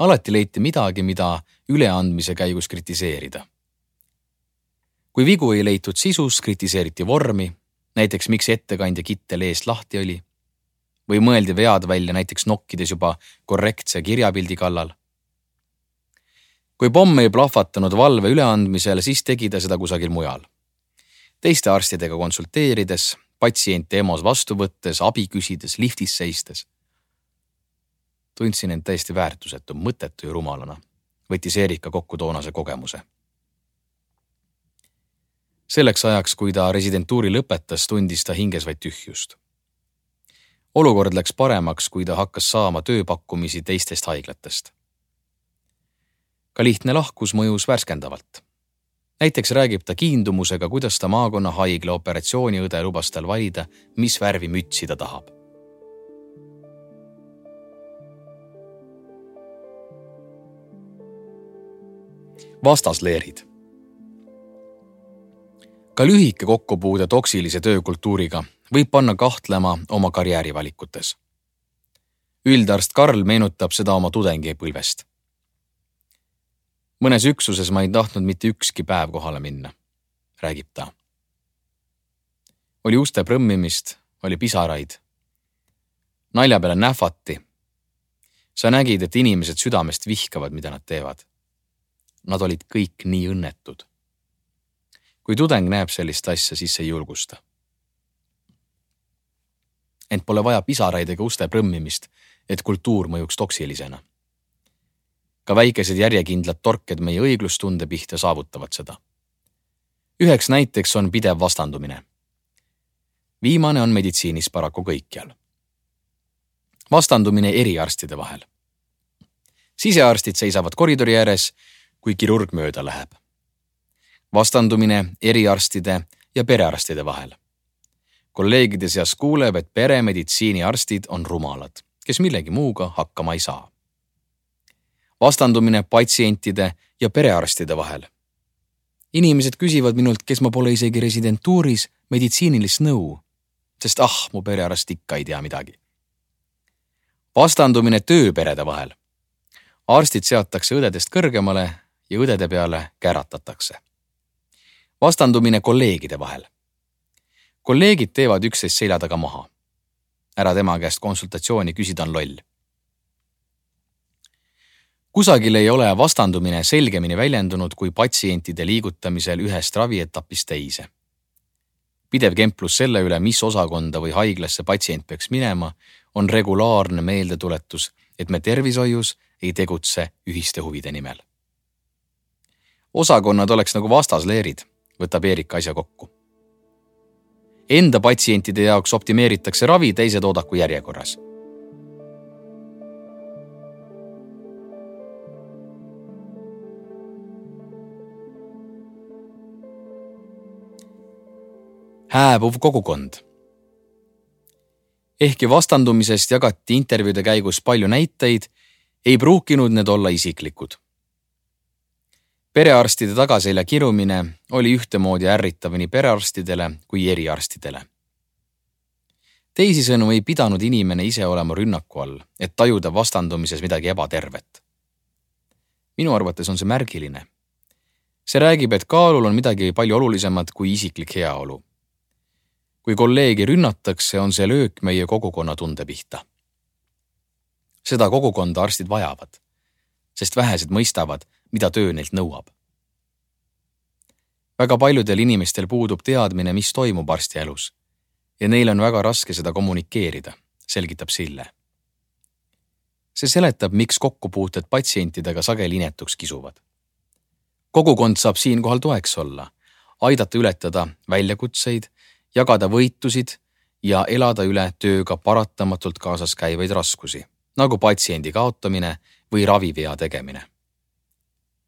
Alati leiti midagi, mida üleandmise käigus kritiseerida. Kui vigu ei leitud sisus, kritiseeriti vormi, näiteks miks ettekandja kittel eest lahti oli, või mõeldi vead välja näiteks nokkides juba korrektse kirjapildi kallal. Kui pomm ei plahvatanud valve üleandmisel, siis tegi ta seda kusagil mujal. Teiste arstidega konsulteerides, patsiente EMO-s vastu võttes, abi küsides, liftis seistes. Tundsin end täiesti väärtusetu, mõttetu ja rumalana, võttis Erika kokku toonase kogemuse. Selleks ajaks, kui ta residentuuri lõpetas, tundis ta hinges vaid tühjust. Olukord läks paremaks, kui ta hakkas saama tööpakkumisi teistest haiglatest. Ka lihtne lahkus mõjus värskendavalt. Näiteks räägib ta kiindumusega, kuidas ta maakonna haigla operatsiooniõde lubas tal valida, mis värvi mütsi ta tahab. Vastasleerid. Ka lühike kokkupuude toksilise töökultuuriga võib panna kahtlema oma karjäärivalikutes. Üldarst Karl meenutab seda oma tudengipõlvest. Mõnes üksuses ma ei tahtnud mitte ükski päev kohale minna, räägib ta. Oli uste prõmmimist, oli pisaraid. Nalja peale nähvati. Sa nägid, et inimesed südamest vihkavad, mida nad teevad. Nad olid kõik nii õnnetud. Kui tudeng näeb sellist asja, siis ei julgusta. Ent pole vaja pisaraid ega uste prõmmimist, et kultuur mõjuks toksilisena. Ka väikesed järjekindlad torked meie õiglustunde pihta saavutavad seda. Üheks näiteks on pidev vastandumine. Viimane on meditsiinis paraku kõikjal. Vastandumine eriarstide vahel. Sisearstid seisavad koridori ääres, kui kirurg mööda läheb. Vastandumine eriarstide ja perearstide vahel. Kolleegide seas kuuleb, et peremeditsiiniarstid on rumalad, kes millegi muuga hakkama ei saa. Vastandumine patsientide ja perearstide vahel. Inimesed küsivad minult, kes ma pole isegi residentuuris meditsiinilist nõu, sest ah, mu perearst ikka ei tea midagi. vastandumine tööperede vahel. Arstid seatakse õdedest kõrgemale ja õdede peale käratatakse. Vastandumine kolleegide vahel. Kolleegid teevad üksteist selja taga maha. Ära tema käest konsultatsiooni, küsida on loll. Kusagil ei ole vastandumine selgemini väljendunud kui patsientide liigutamisel ühest ravietapist teise. Pidev kemplus selle üle, mis osakonda või haiglasse patsient peaks minema, on regulaarne meeldetuletus, et me tervishoius ei tegutse ühiste huvide nimel. Osakonnad oleks nagu vastasleerid, võtab Eerika asja kokku. Enda patsientide jaoks optimeeritakse ravi, teised oodaku järjekorras. Hääbuv kogukond. Ehkki vastandumisest jagati intervjuude käigus palju näiteid, ei pruukinud need olla isiklikud. Perearstide tagaselja kirumine oli ühtemoodi ärritav nii perearstidele kui eriarstidele. Teisisõnu ei pidanud inimene ise olema rünnaku all, et tajuda vastandumises midagi ebatervet. Minu arvates on see märgiline. See räägib, et kaalul on midagi palju olulisemat kui isiklik heaolu. Kui kolleegi rünnatakse, on see löök meie kogukonna tunde pihta. Seda kogukonda arstid vajavad, sest vähesed mõistavad, mida töö neilt nõuab. Väga paljudel inimestel puudub teadmine, mis toimub arsti elus ja neil on väga raske seda kommunikeerida, selgitab Sille. See seletab, miks kokkupuuted patsientidega sageli inetuks kisuvad. Kogukond saab siinkohal toeks olla, aidata ületada väljakutseid, jagada võitusid ja elada üle tööga paratamatult kaasas käivaid raskusi, nagu patsiendi kaotamine või ravivea tegemine.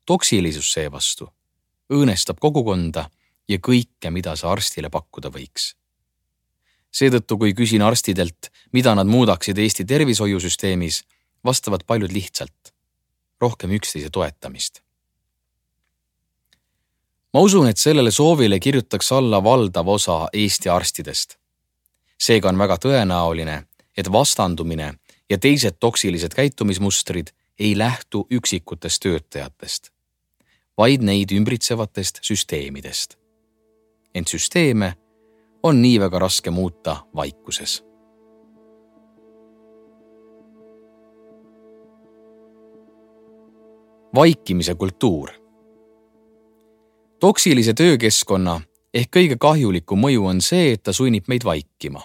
Toksilisus seevastu õõnestab kogukonda ja kõike, mida sa arstile pakkuda võiks. Seetõttu, kui küsin arstidelt, mida nad muudaksid Eesti tervishoiusüsteemis, vastavad paljud lihtsalt. Rohkem üksteise toetamist. Ma usun, et sellele soovile kirjutaks alla valdav osa Eesti arstidest. Seega on väga tõenäoline, et vastandumine ja teised toksilised käitumismustrid ei lähtu üksikutest töötajatest, vaid neid ümbritsevatest süsteemidest. Ent süsteeme on nii väga raske muuta vaikuses. Vaikimise kultuur. Toksilise töökeskkonna ehk kõige kahjulikum mõju on see, et ta sunnib meid vaikima.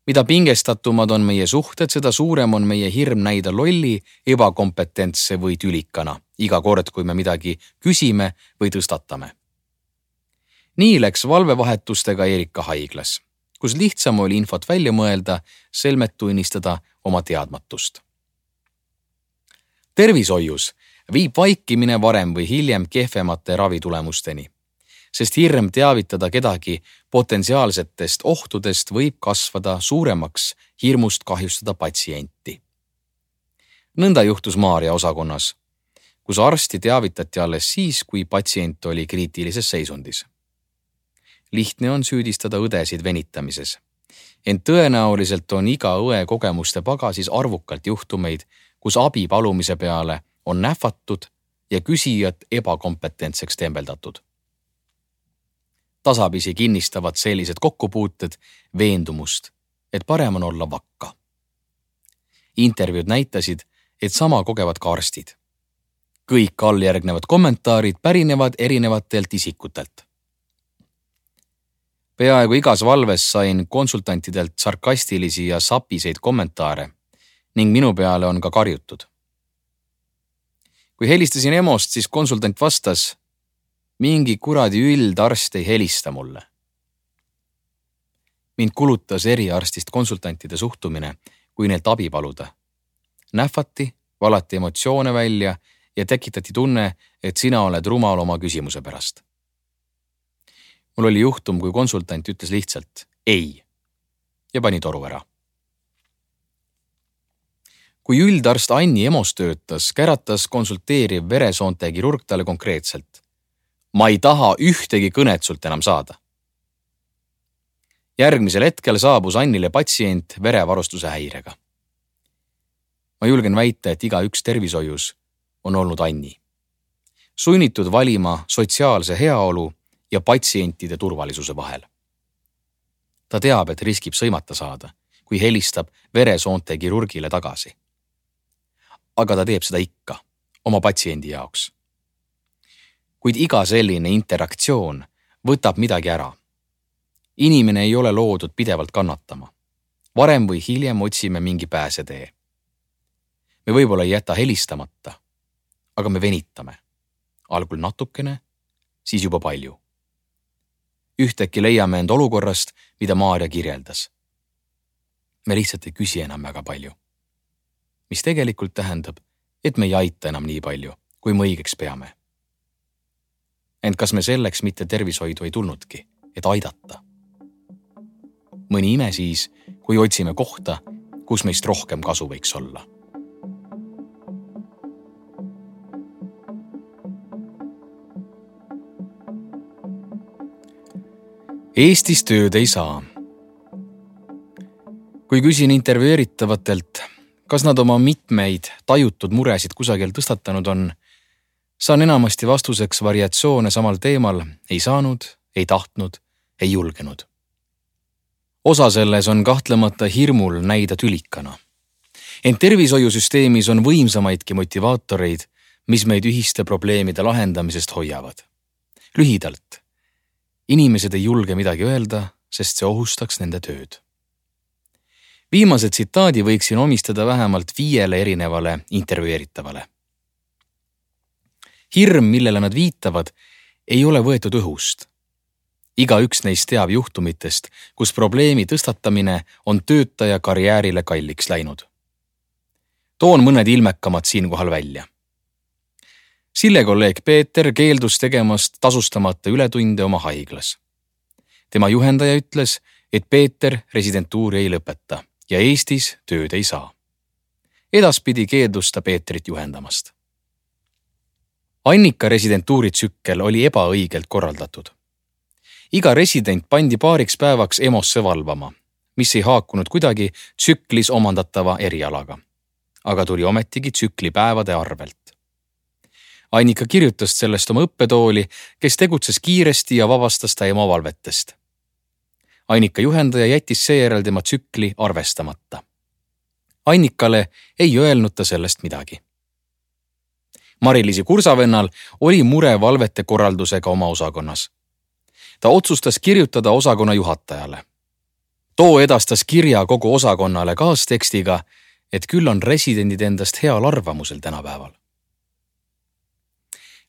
Mida pingestatumad on meie suhted, seda suurem on meie hirm näida lolli, ebakompetentse või tülikana, iga kord, kui me midagi küsime või tõstatame. Nii läks valvevahetustega Eerika haiglas, kus lihtsam oli infot välja mõelda, selmet tunnistada oma teadmatust. Tervishoius viib vaikimine varem või hiljem kehvemate ravitulemusteni, sest hirm teavitada kedagi potentsiaalsetest ohtudest võib kasvada suuremaks hirmust kahjustada patsienti. Nõnda juhtus Maarja osakonnas, kus arsti teavitati alles siis, kui patsient oli kriitilises seisundis. Lihtne on süüdistada õdesid venitamises, ent tõenäoliselt on iga õe kogemuste pagasis arvukalt juhtumeid, kus abi palumise peale on nähvatud ja küsijat ebakompetentseks tembeldatud. Tasapisi kinnistavad sellised kokkupuuted veendumust, et parem on olla vakka. Intervjuud näitasid, et sama kogevad ka arstid. Kõik alljärgnevad kommentaarid pärinevad erinevatelt isikutelt. Peaaegu igas valves sain konsultantidelt sarkastilisi ja sapiseid kommentaare ning minu peale on ka karjutud. Kui helistasin EMO-st, siis konsultant vastas, mingi kuradi üldarst ei helista mulle. Mind kulutas eriarstist konsultantide suhtumine, kui neilt abi paluda. Nähvati, valati emotsioone välja ja tekitati tunne, et sina oled rumal oma küsimuse pärast. Mul oli juhtum, kui konsultant ütles lihtsalt ei ja pani toru ära. Kui üldarst Anni EMO-s töötas, käratas konsulteeriv veresoonte kirurg talle konkreetselt. Ma ei taha ühtegi kõnet sult enam saada. Järgmisel hetkel saabus Annile patsient verevarustuse häirega. ma julgen väita, et iga üks tervishoius on olnud Anni. Sunnitud valima sotsiaalse heaolu ja patsientide turvalisuse vahel. Ta teab, et riskib sõimata saada, kui helistab veresoonte kirurgile tagasi. Aga ta teeb seda ikka, oma patsiendi jaoks. Kuid iga selline interaktsioon võtab midagi ära. Inimene ei ole loodud pidevalt kannatama. Varem või hiljem otsime mingi pääsetee. Me võib-olla ei jäta helistamata, aga me venitame. Algul natukene, siis juba palju. Ühtäkki leiame end olukorrast, mida Maarja kirjeldas. Me lihtsalt ei küsi enam väga palju. Mis tegelikult tähendab, et me ei aita enam nii palju, kui me õigeks peame. Ent kas me selleks mitte tervishoidu ei tulnudki, et aidata? Mõni ime siis, kui otsime kohta, kus meist rohkem kasu võiks olla. Eestis tööd ei saa. Kui küsin intervjueeritavatelt, kas nad oma mitmeid tajutud muresid kusagil tõstatanud on, saan enamasti vastuseks variatsioone samal teemal ei saanud, ei tahtnud, ei julgenud. Osa selles on kahtlemata hirmul näida tülikana. Ent tervishoiusüsteemis on võimsamaidki motivaatoreid, mis meid ühiste probleemide lahendamisest hoiavad. Lühidalt. Inimesed ei julge midagi öelda, sest see ohustaks nende tööd. Viimase tsitaadi võiksin omistada vähemalt viiele erinevale intervjueeritavale. Hirm, millele nad viitavad, ei ole võetud õhust. Iga üks neist teab juhtumitest, kus probleemi tõstatamine on töötaja karjäärile kalliks läinud. Toon mõned ilmekamad siinkohal välja. Sille kolleeg Peeter keeldus tegemast tasustamata ületunde oma haiglas. Tema juhendaja ütles, et Peeter residentuuri ei lõpeta ja Eestis tööd ei saa. Edaspidi keeldus ta Peetrit juhendamast. Annika residentuuri tsükkel oli ebaõigelt korraldatud. Iga resident pandi paariks päevaks emosse valvama, mis ei haakunud kuidagi tsüklis omandatava erialaga, aga tuli ometigi tsükli päevade arvelt. Annika kirjutas sellest oma õppetooli, kes tegutses kiiresti ja vabastas ta ema valvetest. Annika juhendaja jättis seejärel tema tsükli arvestamata. Annikale ei öelnud ta sellest midagi. Mari-Liisi kursavennal oli mure valvete korraldusega oma osakonnas. Ta otsustas kirjutada osakonna juhatajale. Too edastas kirja kogu osakonnale kaastekstiga, et küll on residendid endast heal arvamusel tänapäeval.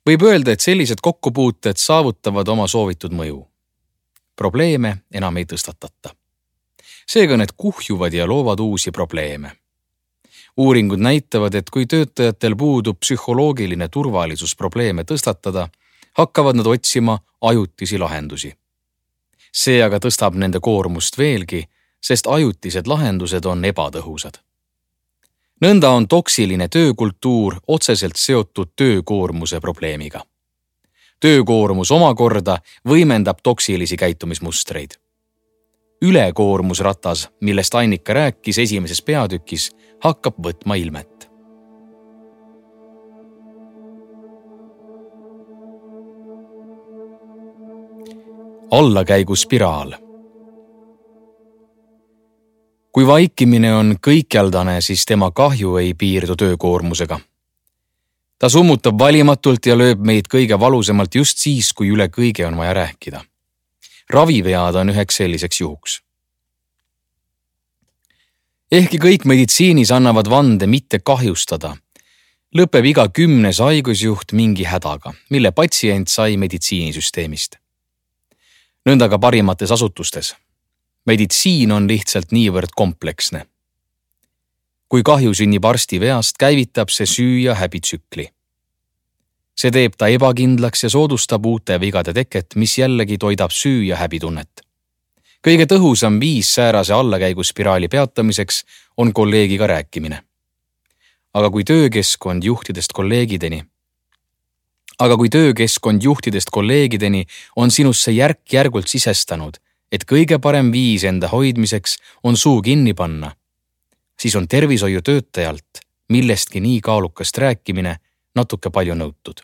Võib öelda, et sellised kokkupuuted saavutavad oma soovitud mõju. Probleeme enam ei tõstatata. Seega need kuhjuvad ja loovad uusi probleeme. Uuringud näitavad, et kui töötajatel puudub psühholoogiline turvalisus probleeme tõstatada, hakkavad nad otsima ajutisi lahendusi. See aga tõstab nende koormust veelgi, sest ajutised lahendused on ebatõhusad. Nõnda on toksiline töökultuur otseselt seotud töökoormuse probleemiga. Töökoormus omakorda võimendab toksilisi käitumismustreid. Ülekoormusratas, millest Annika rääkis esimeses peatükis, hakkab võtma ilmet. Allakäiguspiraal. Kui vaikimine on kõikjaldane, siis tema kahju ei piirdu töökoormusega. Ta summutab valimatult ja lööb meid kõige valusemalt just siis, kui üle kõige on vaja rääkida. Ravivead on üheks selliseks juhuks. Ehkki kõik meditsiinis annavad vande mitte kahjustada, lõpeb iga kümnes haigusjuht mingi hädaga, mille patsient sai meditsiinisüsteemist. Nõnda ka parimates asutustes. Meditsiin on lihtsalt niivõrd kompleksne. Kui kahju sünnib arsti veast, käivitab see süü- ja häbitsükli. See teeb ta ebakindlaks ja soodustab uute vigade teket, mis jällegi toidab süü- ja häbitunnet. Kõige tõhusam viis säärase allakäiguspiraali peatamiseks on kolleegiga rääkimine. Aga kui töökeskkond juhtidest kolleegideni, aga kui töökeskkond juhtidest kolleegideni on sinusse järk-järgult sisestanud, et kõige parem viis enda hoidmiseks on suu kinni panna, siis on tervishoiutöötajalt millestki nii kaalukast rääkimine natuke palju nõutud.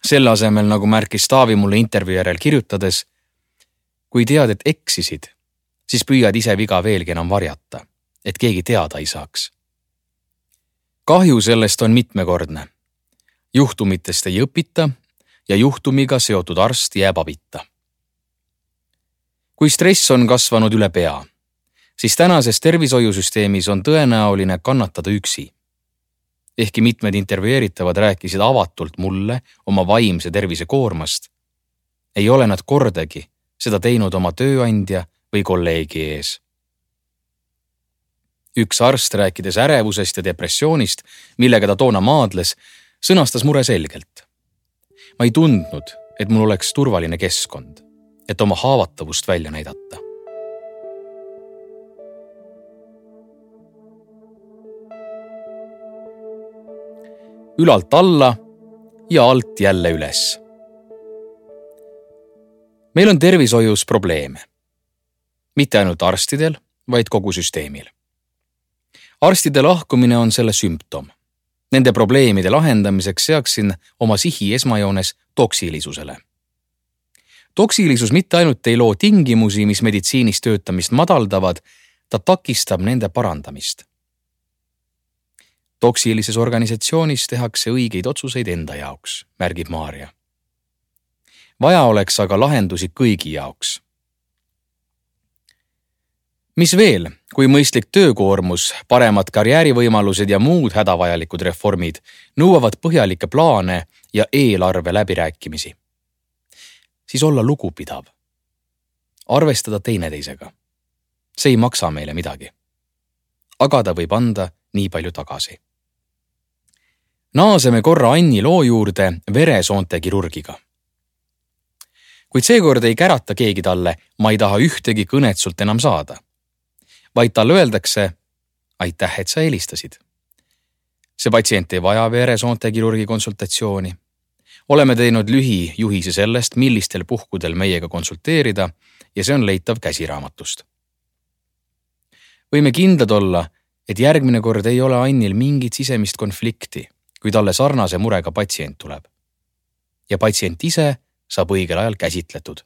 Selle asemel, nagu märkis Taavi mulle intervjuu järel kirjutades, kui tead, et eksisid, siis püüad ise viga veelgi enam varjata, et keegi teada ei saaks. Kahju sellest on mitmekordne. Juhtumitest ei õpita ja juhtumiga seotud arst jääb abita. Kui stress on kasvanud üle pea, siis tänases tervishoiusüsteemis on tõenäoline kannatada üksi. Ehkki mitmed intervjueeritavad rääkisid avatult mulle oma vaimse tervise koormast, ei ole nad kordagi seda teinud oma tööandja või kolleegi ees. Üks arst, rääkides ärevusest ja depressioonist, millega ta toona maadles, sõnastas mure selgelt. Ma ei tundnud, et mul oleks turvaline keskkond, et oma haavatavust välja näidata. Ülalt alla ja alt jälle üles. Meil on tervishoius probleeme. Mitte ainult arstidel, vaid kogu süsteemil. Arstide lahkumine on selle sümptom. Nende probleemide lahendamiseks seaksin oma sihi esmajoones toksilisusele. Toksilisus mitte ainult ei loo tingimusi, mis meditsiinis töötamist madaldavad, ta takistab nende parandamist. Toksilises organisatsioonis tehakse õigeid otsuseid enda jaoks, märgib Maarja. Vaja oleks aga lahendusi kõigi jaoks. Mis veel, kui mõistlik töökoormus, paremad karjäärivõimalused ja muud hädavajalikud reformid nõuavad põhjalikke plaane ja eelarve läbirääkimisi. Siis olla lugupidav. Arvestada teineteisega. See ei maksa meile midagi. Aga ta võib anda nii palju tagasi. Naaseme korra Anni loo juurde veresoonte kirurgiga. Kuid seekord ei kärata keegi talle, ma ei taha ühtegi kõnet sult enam saada. Vaid talle öeldakse, aitäh, et sa helistasid. See patsient ei vaja veresoonte kirurgi konsultatsiooni. Oleme teinud lühijuhise sellest, millistel puhkudel meiega konsulteerida ja see on leitav käsiraamatust. Võime kindlad olla, et järgmine kord ei ole Annil mingit sisemist konflikti, kui talle sarnase murega patsient tuleb. Ja patsient ise saab õigel ajal käsitletud.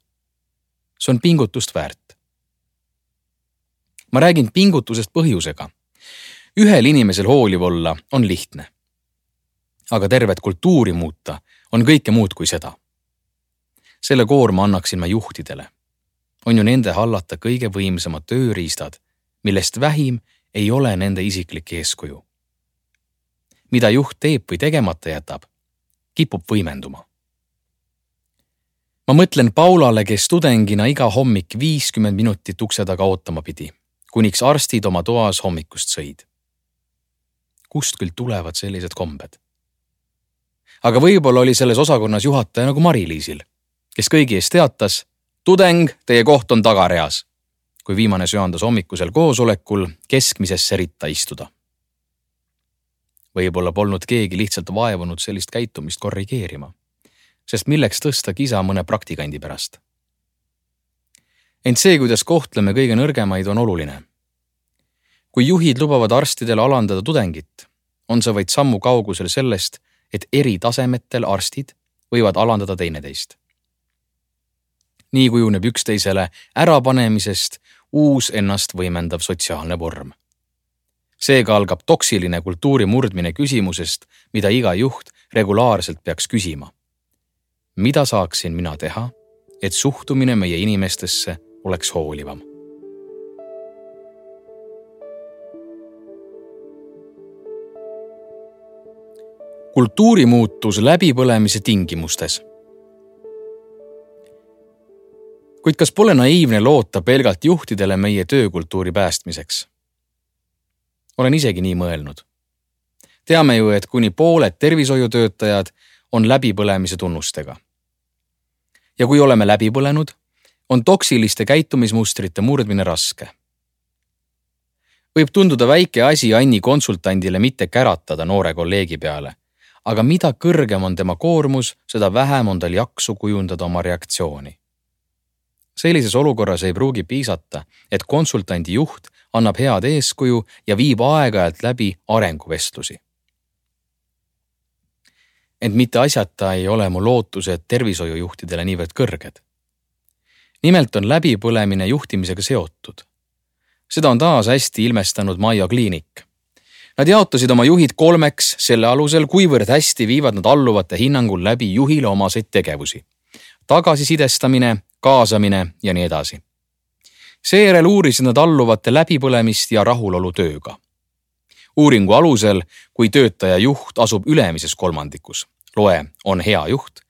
See on pingutust väärt. Ma räägin pingutusest põhjusega. Ühel inimesel hooliv olla on lihtne. Aga tervet kultuuri muuta on kõike muud kui seda. Selle koorma annaksin ma juhtidele. On ju nende hallata kõige võimsamad tööriistad, millest vähim ei ole nende isiklik eeskuju. Mida juht teeb või tegemata jätab, kipub võimenduma. Ma mõtlen Paulale, kes tudengina iga hommik viiskümmend minutit ukse taga ootama pidi, kuniks arstid oma toas hommikust sõid. Kust küll tulevad sellised kombed? Aga võib-olla oli selles osakonnas juhataja nagu Mari-Liisil, kes kõigi ees teatas, tudeng, teie koht on tagareas, kui viimane söandas hommikusel koosolekul keskmisesse ritta istuda. Võib-olla polnud keegi lihtsalt vaevunud sellist käitumist korrigeerima, sest milleks tõsta kisa mõne praktikandi pärast. Ent see, kuidas kohtleme kõige nõrgemaid, on oluline. Kui juhid lubavad arstidele alandada tudengit, on see vaid sammu kaugusel sellest, et eri tasemetel arstid võivad alandada teineteist. Nii kujuneb üksteisele ärapanemisest uus ennast võimendav sotsiaalne vorm. Seega algab toksiline kultuuri murdmine küsimusest, mida iga juht regulaarselt peaks küsima. Mida saaksin mina teha, et suhtumine meie inimestesse oleks hoolivam? Kultuurimuutus läbipõlemise tingimustes. Kuid kas pole naiivne loota pelgalt juhtidele meie töökultuuri päästmiseks? Olen isegi nii mõelnud. Teame ju, et kuni pooled tervishoiutöötajad on läbipõlemise tunnustega. Ja kui oleme läbi põlenud, on toksiliste käitumismustrite murdmine raske. Võib tunduda väike asi Anni konsultandile mitte käratada noore kolleegi peale, aga mida kõrgem on tema koormus, seda vähem on tal jaksu kujundada oma reaktsiooni. Sellises olukorras ei pruugi piisata, et konsultandi juht annab head eeskuju ja viib aeg-ajalt läbi arenguvestlusi. Ent mitte asjata ei ole mu lootused tervishoiujuhtidele niivõrd kõrged. Nimelt on läbipõlemine juhtimisega seotud. Seda on taas hästi ilmestanud Mayo Clinic. Nad jaotasid oma juhid kolmeks selle alusel, kuivõrd hästi viivad nad alluvate hinnangul läbi juhile omaseid tegevusi. Tagasisidestamine, kaasamine ja nii edasi. Seejärel uurisid nad alluvate läbipõlemist ja rahulolu tööga. Uuringu alusel, kui töötaja juht asub ülemises kolmandikus, loe on hea juht,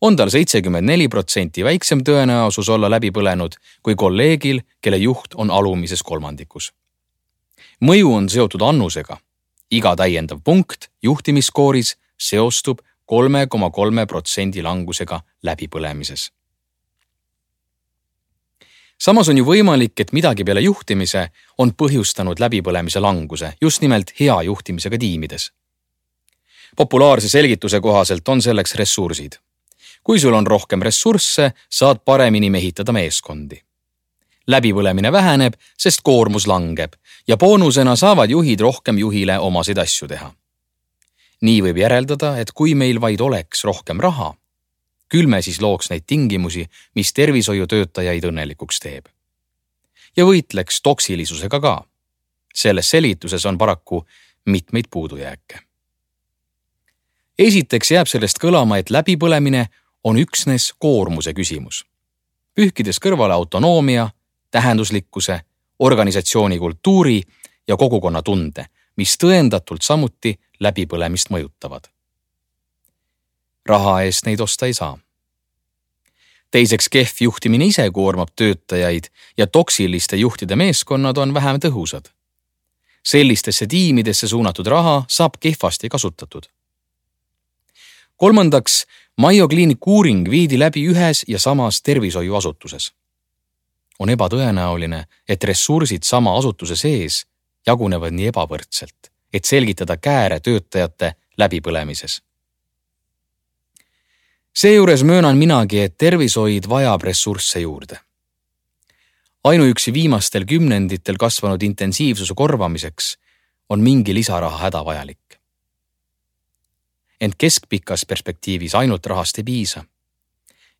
on tal seitsekümmend neli protsenti väiksem tõenäosus olla läbi põlenud kui kolleegil, kelle juht on alumises kolmandikus. Mõju on seotud annusega. Iga täiendav punkt juhtimiskooris seostub kolme koma kolme protsendi langusega läbipõlemises. Samas on ju võimalik, et midagi peale juhtimise on põhjustanud läbipõlemise languse, just nimelt hea juhtimisega tiimides. Populaarse selgituse kohaselt on selleks ressursid. Kui sul on rohkem ressursse, saad paremini mehitada meeskondi. Läbipõlemine väheneb, sest koormus langeb ja boonusena saavad juhid rohkem juhile omasid asju teha. Nii võib järeldada, et kui meil vaid oleks rohkem raha, küll me siis looks neid tingimusi, mis tervishoiutöötajaid õnnelikuks teeb. Ja võitleks toksilisusega ka. Selles selgituses on paraku mitmeid puudujääke. Esiteks jääb sellest kõlama, et läbipõlemine on üksnes koormuse küsimus. Pühkides kõrvale autonoomia, tähenduslikkuse, organisatsiooni kultuuri ja kogukonna tunde, mis tõendatult samuti läbipõlemist mõjutavad. Raha eest neid osta ei saa. Teiseks, kehv juhtimine ise koormab töötajaid ja toksiliste juhtide meeskonnad on vähem tõhusad. Sellistesse tiimidesse suunatud raha saab kehvasti kasutatud. Kolmandaks, Mayo Clinic uuring viidi läbi ühes ja samas tervishoiuasutuses. On ebatõenäoline, et ressursid sama asutuse sees jagunevad nii ebavõrdselt, et selgitada kääre töötajate läbipõlemises. Seejuures möönan minagi, et tervishoid vajab ressursse juurde. Ainuüksi viimastel kümnenditel kasvanud intensiivsuse korvamiseks on mingi lisaraha hädavajalik. Ent keskpikas perspektiivis ainult rahast ei piisa.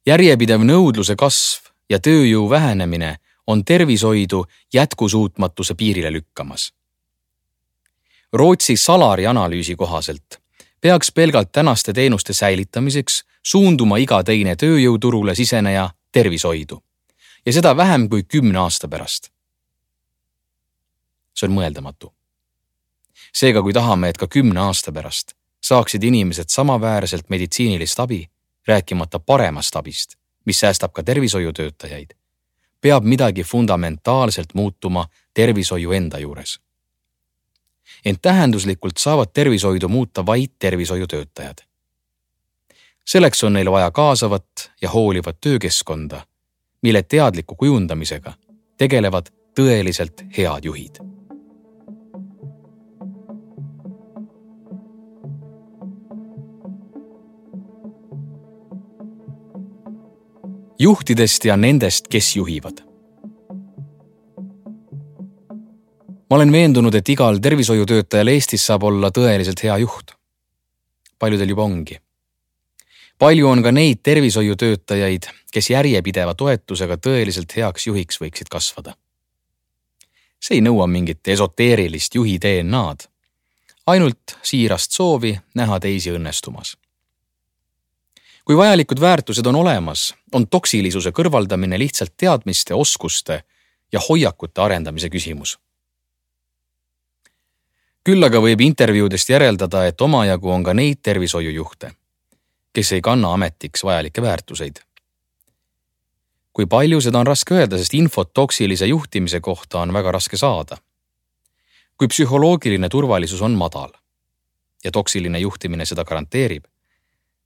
Järjepidev nõudluse kasv ja tööjõu vähenemine on tervishoidu jätkusuutmatuse piirile lükkamas. Rootsi Salari analüüsi kohaselt peaks pelgalt tänaste teenuste säilitamiseks suunduma iga teine tööjõuturule siseneja tervishoidu ja seda vähem kui kümne aasta pärast. See on mõeldamatu. Seega, kui tahame, et ka kümne aasta pärast saaksid inimesed samaväärselt meditsiinilist abi, rääkimata paremast abist, mis säästab ka tervishoiutöötajaid, peab midagi fundamentaalselt muutuma tervishoiu enda juures. Ent tähenduslikult saavad tervishoidu muuta vaid tervishoiutöötajad. Selleks on neil vaja kaasavat ja hoolivat töökeskkonda, mille teadliku kujundamisega tegelevad tõeliselt head juhid. Juhtidest ja nendest, kes juhivad. Ma olen veendunud, et igal tervishoiutöötajal Eestis saab olla tõeliselt hea juht. Paljudel juba ongi. Palju on ka neid tervishoiutöötajaid, kes järjepideva toetusega tõeliselt heaks juhiks võiksid kasvada. See ei nõua mingit esoteerilist juhi D N A-d, ainult siirast soovi näha teisi õnnestumas. Kui vajalikud väärtused on olemas, on toksilisuse kõrvaldamine lihtsalt teadmiste, oskuste ja hoiakute arendamise küsimus. Küll aga võib intervjuudest järeldada, et omajagu on ka neid tervishoiujuhte, kes ei kanna ametiks vajalikke väärtuseid. Kui palju seda on raske öelda, sest infot toksilise juhtimise kohta on väga raske saada. Kui psühholoogiline turvalisus on madal ja toksiline juhtimine seda garanteerib,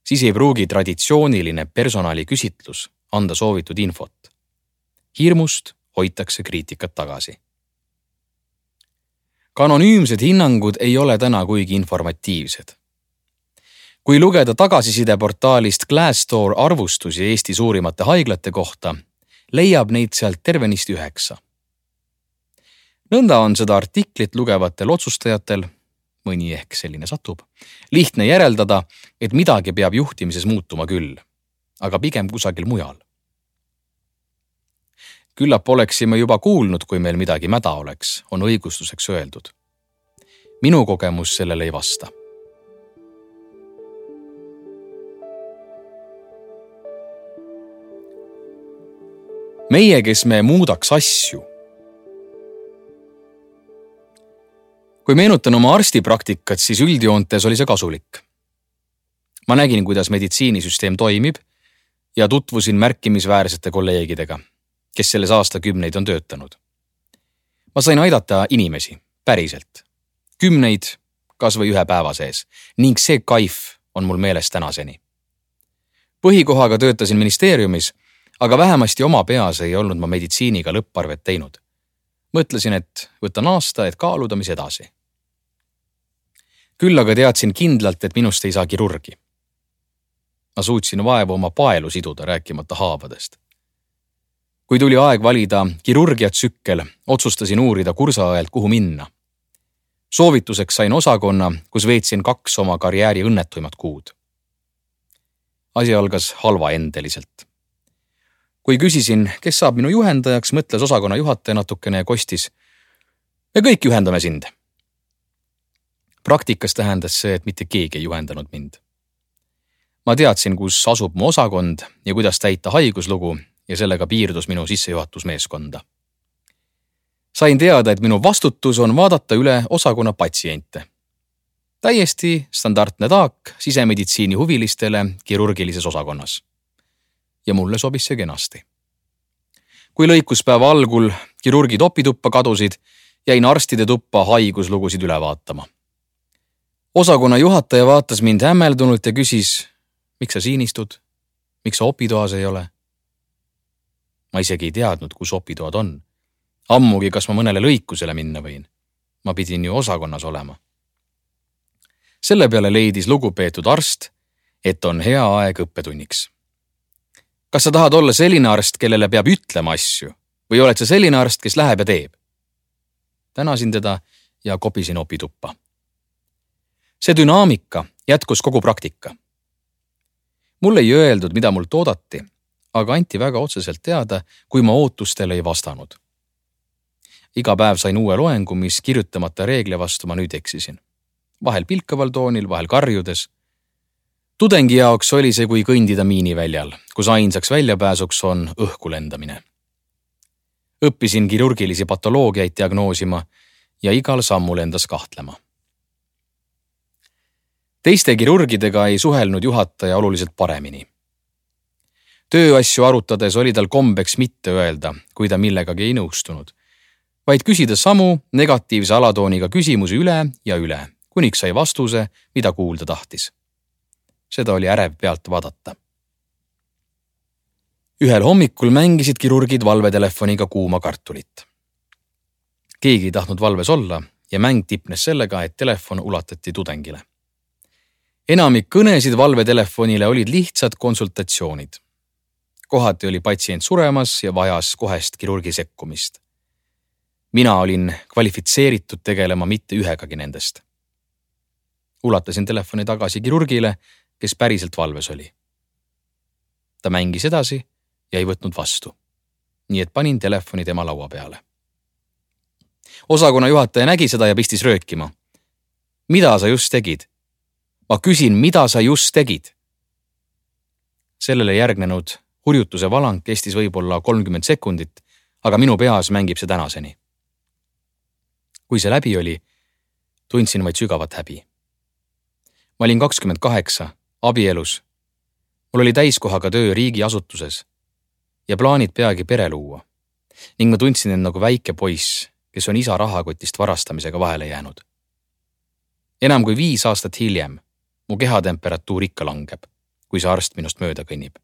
siis ei pruugi traditsiooniline personali küsitlus anda soovitud infot. Hirmust hoitakse kriitikat tagasi. Ka anonüümsed hinnangud ei ole täna kuigi informatiivsed. Kui lugeda tagasisideportaalist Glassdoor arvustusi Eesti suurimate haiglate kohta, leiab neid sealt tervenist üheksa. Nõnda on seda artiklit lugevatel otsustajatel, mõni ehk selline satub, lihtne järeldada, et midagi peab juhtimises muutuma küll, aga pigem kusagil mujal. Küllap oleksime juba kuulnud, kui meil midagi mäda oleks, on õigustuseks öeldud. Minu kogemus sellele ei vasta. Meie, kes me muudaks asju. Kui meenutan oma arstipraktikat, siis üldjoontes oli see kasulik. Ma nägin, kuidas meditsiinisüsteem toimib ja tutvusin märkimisväärsete kolleegidega, kes selles aastakümneid on töötanud. Ma sain aidata inimesi, päriselt, kümneid, kas või ühe päeva sees, ning see kaif on mul meeles tänaseni. Põhikohaga töötasin ministeeriumis, aga vähemasti oma peas ei olnud ma meditsiiniga lõpparvet teinud. Mõtlesin, et võtan aasta, et kaaluda, mis edasi. Küll aga teadsin kindlalt, et minust ei saa kirurgi. Ma suutsin vaevu oma paelu siduda, rääkimata haavadest. Kui tuli aeg valida kirurgiatsükkel, otsustasin uurida kursaajalt, kuhu minna. Soovituseks sain osakonna, kus veetsin kaks oma karjääri õnnetuimat kuud. Asi algas halvaendeliselt. Kui küsisin, kes saab minu juhendajaks, mõtles osakonna juhataja natukene ja kostis. Me kõik juhendame sind. Praktikas tähendas see, et mitte keegi ei juhendanud mind. Ma teadsin, kus asub mu osakond ja kuidas täita haiguslugu ja sellega piirdus minu sissejuhatusmeeskonda. Sain teada, et minu vastutus on vaadata üle osakonna patsiente. Täiesti standardne taak sisemeditsiini huvilistele kirurgilises osakonnas. Ja mulle sobis see kenasti. Kui lõikuspäeva algul kirurgid opituppa kadusid, jäin arstide tuppa haiguslugusid üle vaatama. Osakonna juhataja vaatas mind hämmeldunult ja küsis, miks sa siin istud? Miks sa opitoas ei ole? Ma isegi ei teadnud, kus opitoad on. Ammugi, kas ma mõnele lõikusele minna võin. Ma pidin ju osakonnas olema. Selle peale leidis lugupeetud arst, et on hea aeg õppetunniks. Kas sa tahad olla selline arst, kellele peab ütlema asju? Või oled sa selline arst, kes läheb ja teeb? Tänasin teda ja kopisin opituppa. See dünaamika jätkus kogu praktika. Mulle ei öeldud, mida mult oodati, aga anti väga otseselt teada, kui ma ootustele ei vastanud. Iga päev sain uue loengu, mis kirjutamata reegli vastu ma nüüd eksisin. Vahel pilkaval toonil, vahel karjudes. Tudengi jaoks oli see kui kõndida miiniväljal, kus ainsaks väljapääsuks on õhku lendamine. Õppisin kirurgilisi patoloogiaid diagnoosima ja igal sammul endas kahtlema. Teiste kirurgidega ei suhelnud juhataja oluliselt paremini. Tööasju arutades oli tal kombeks mitte öelda, kui ta millegagi ei nõustunud, vaid küsida samu negatiivse alatooniga küsimusi üle ja üle, kuniks sai vastuse, mida kuulda tahtis. Seda oli ärev pealt vaadata. Ühel hommikul mängisid kirurgid valvetelefoniga kuuma kartulit. Keegi ei tahtnud valves olla ja mäng tipnes sellega, et telefon ulatati tudengile. Enamik kõnesid valvetelefonile olid lihtsad konsultatsioonid. Kohati oli patsient suremas ja vajas kohest kirurgi sekkumist. Mina olin kvalifitseeritud tegelema mitte ühegagi nendest. Ulatasin telefoni tagasi kirurgile, kes päriselt valves oli. Ta mängis edasi ja ei võtnud vastu. Nii et panin telefoni tema laua peale. Osakonna juhataja nägi seda ja pistis röökima. Mida sa just tegid? Ma küsin, mida sa just tegid? Sellele järgnenud hurjutuse valang kestis võib-olla kolmkümmend sekundit, aga minu peas mängib see tänaseni. Kui see läbi oli, tundsin vaid sügavat häbi. Ma olin kakskümmend kaheksa, abielus. Mul oli täiskohaga töö riigiasutuses ja plaanid peagi pere luua. Ning ma tundsin end nagu väike poiss, kes on isa rahakotist varastamisega vahele jäänud. Enam kui viis aastat hiljem mu kehatemperatuur ikka langeb, kui see arst minust mööda kõnnib.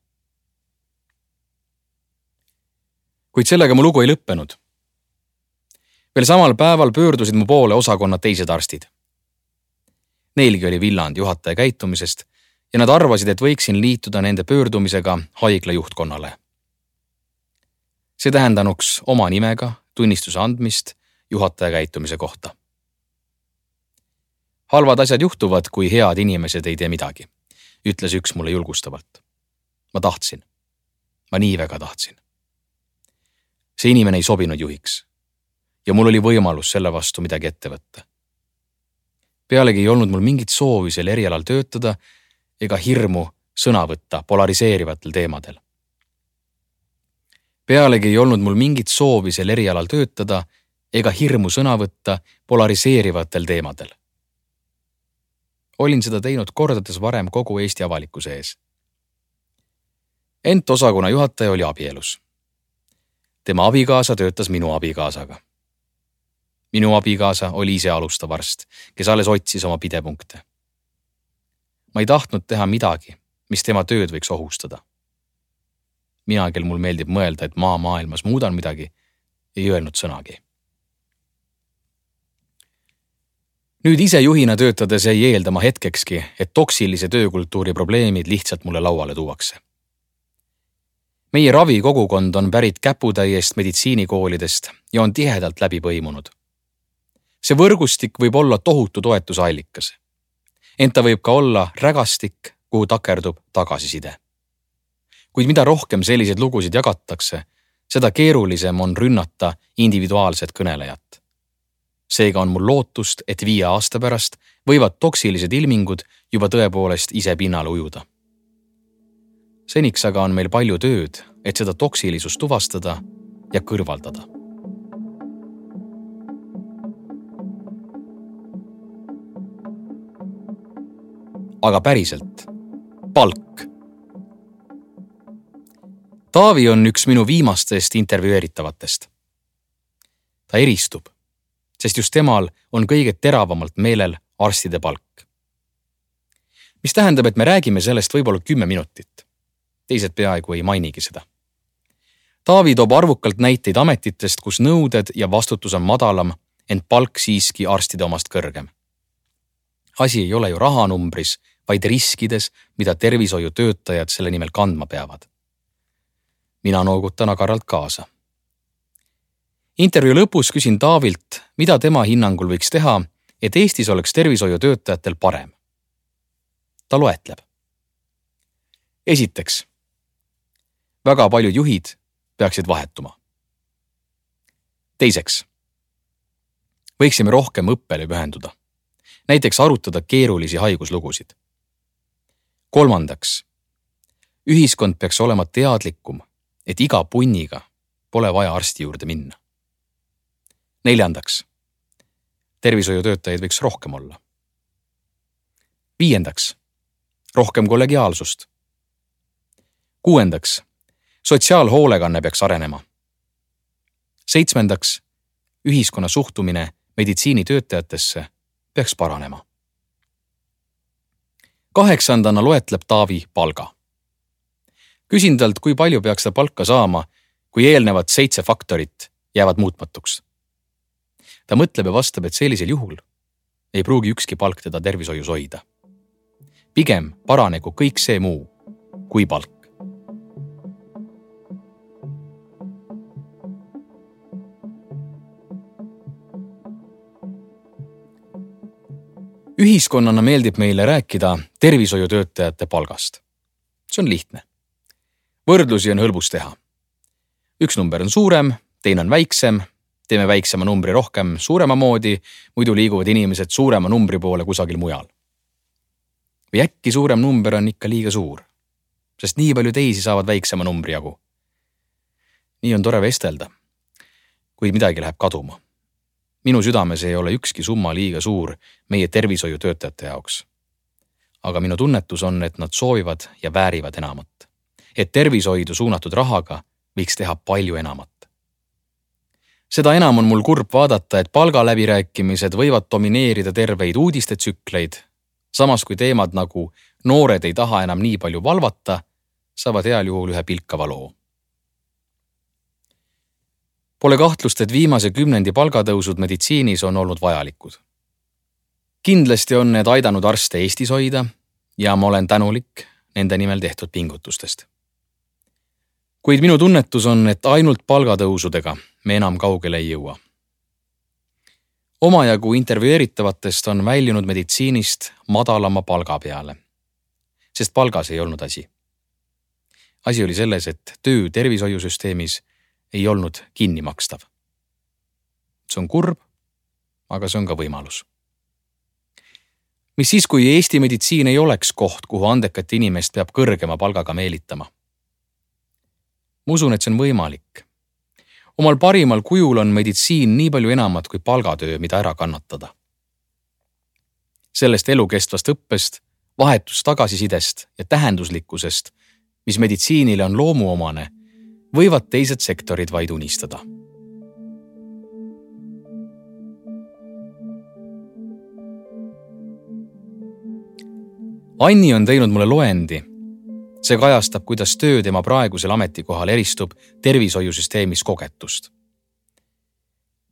Kuid sellega mu lugu ei lõppenud. Veel samal päeval pöördusid mu poole osakonna teised arstid. Neilgi oli villand juhataja käitumisest ja nad arvasid, et võiksin liituda nende pöördumisega haigla juhtkonnale. See tähendanuks oma nimega, tunnistuse andmist juhataja käitumise kohta. Halvad asjad juhtuvad, kui head inimesed ei tee midagi, ütles üks mulle julgustavalt. Ma tahtsin. Ma nii väga tahtsin. See inimene ei sobinud juhiks ja mul oli võimalus selle vastu midagi ette võtta. Pealegi ei olnud mul mingit soovi sel erialal töötada ega hirmu sõna võtta polariseerivatel teemadel. Pealegi ei olnud mul mingit soovi sel erialal töötada ega hirmu sõna võtta polariseerivatel teemadel. Olin seda teinud kordades varem kogu Eesti avalikkuse ees. Ent osakonna juhataja oli abielus. Tema abikaasa töötas minu abikaasaga. Minu abikaasa oli ise alustav arst, kes alles otsis oma pidepunkte. Ma ei tahtnud teha midagi, mis tema tööd võiks ohustada. Mina, kel mul meeldib mõelda, et maa maailmas muudan midagi, ei öelnud sõnagi. Nüüd ise juhina töötades ei eeldama hetkekski, et toksilise töökultuuri probleemid lihtsalt mulle lauale tuuakse. Meie ravikogukond on pärit käputäiest meditsiinikoolidest ja on tihedalt läbi põimunud. See võrgustik võib olla tohutu toetuse allikas. Ent ta võib ka olla rägastik, kuhu takerdub tagasiside. Kuid mida rohkem selliseid lugusid jagatakse, seda keerulisem on rünnata individuaalset kõnelejat. Seega on mul lootust, et viie aasta pärast võivad toksilised ilmingud juba tõepoolest ise pinnale ujuda. Seniks aga on meil palju tööd, et seda toksilisust tuvastada ja kõrvaldada. Aga päriselt, palk. Taavi on üks minu viimastest intervjueeritavatest. Ta eristub, sest just temal on kõige teravamalt meelel arstide palk. Mis tähendab, et me räägime sellest võib-olla kümme minutit. Teised peaaegu ei mainigi seda. Taavi toob arvukalt näiteid ametitest, kus nõuded ja vastutus on madalam, ent palk siiski arstide omast kõrgem. Asi ei ole ju rahanumbris, vaid riskides, mida tervishoiutöötajad selle nimel kandma peavad. Mina noogutan agaralt kaasa. Intervjuu lõpus küsin Taavilt, mida tema hinnangul võiks teha, et Eestis oleks tervishoiutöötajatel parem. Ta loetleb. Esiteks, väga paljud juhid peaksid vahetuma. Teiseks, võiksime rohkem õppele pühenduda, näiteks arutada keerulisi haiguslugusid. Kolmandaks, ühiskond peaks olema teadlikum, et iga punniga pole vaja arsti juurde minna. Neljandaks, tervishoiutöötajaid võiks rohkem olla. Viiendaks, rohkem kollegiaalsust. Kuuendaks, sotsiaalhoolekanne peaks arenema. Seitsmendaks, ühiskonna suhtumine meditsiinitöötajatesse peaks paranema. Kaheksandana loetleb Taavi palga. Küsin talt, kui palju peaks ta palka saama, kui eelnevad seitse faktorit jäävad muutmatuks. Ta mõtleb ja vastab, et sellisel juhul ei pruugi ükski palk teda tervishoius hoida. Pigem paranegu kõik see muu kui palk. Ühiskonnana meeldib meile rääkida tervishoiutöötajate palgast. See on lihtne. Võrdlusi on hõlbus teha. Üks number on suurem, teine on väiksem, teeme väiksema numbri rohkem suurema moodi, muidu liiguvad inimesed suurema numbri poole kusagil mujal. Või äkki suurem number on ikka liiga suur, sest nii palju teisi saavad väiksema numbri jagu. Nii on tore vestelda, kuid midagi läheb kaduma. Minu südames ei ole ükski summa liiga suur meie tervishoiutöötajate jaoks. Aga minu tunnetus on, et nad soovivad ja väärivad enamat. Et tervishoidu suunatud rahaga võiks teha palju enamat. Seda enam on mul kurb vaadata, et palgaläbirääkimised võivad domineerida terveid uudistetsükleid, samas kui teemad nagu noored ei taha enam nii palju valvata, saavad heal juhul ühe pilkava loo. Pole kahtlust, et viimase kümnendi palgatõusud meditsiinis on olnud vajalikud. Kindlasti on need aidanud arste Eestis hoida ja ma olen tänulik nende nimel tehtud pingutustest. Kuid minu tunnetus on, et ainult palgatõusudega me enam kaugele ei jõua. omajagu intervjueeritavatest on väljunud meditsiinist madalama palga peale, sest palgas ei olnud asi. Asi oli selles, et töö tervishoiusüsteemis ei olnud kinni makstav. See on kurb, aga see on ka võimalus. Mis siis, kui Eesti meditsiin ei oleks koht, kuhu andekat inimest peab kõrgema palgaga meelitama? Ma usun, et see on võimalik. Omal parimal kujul on meditsiin nii palju enamat kui palgatöö, mida ära kannatada. Sellest elukestvast õppest, vahetust tagasisidest ja tähenduslikkusest, mis meditsiinile on loomuomane, võivad teised sektorid vaid unistada. Anni on teinud mulle loendi. See kajastab, kuidas töö tema praegusel ametikohal eristub tervishoiusüsteemis kogetust.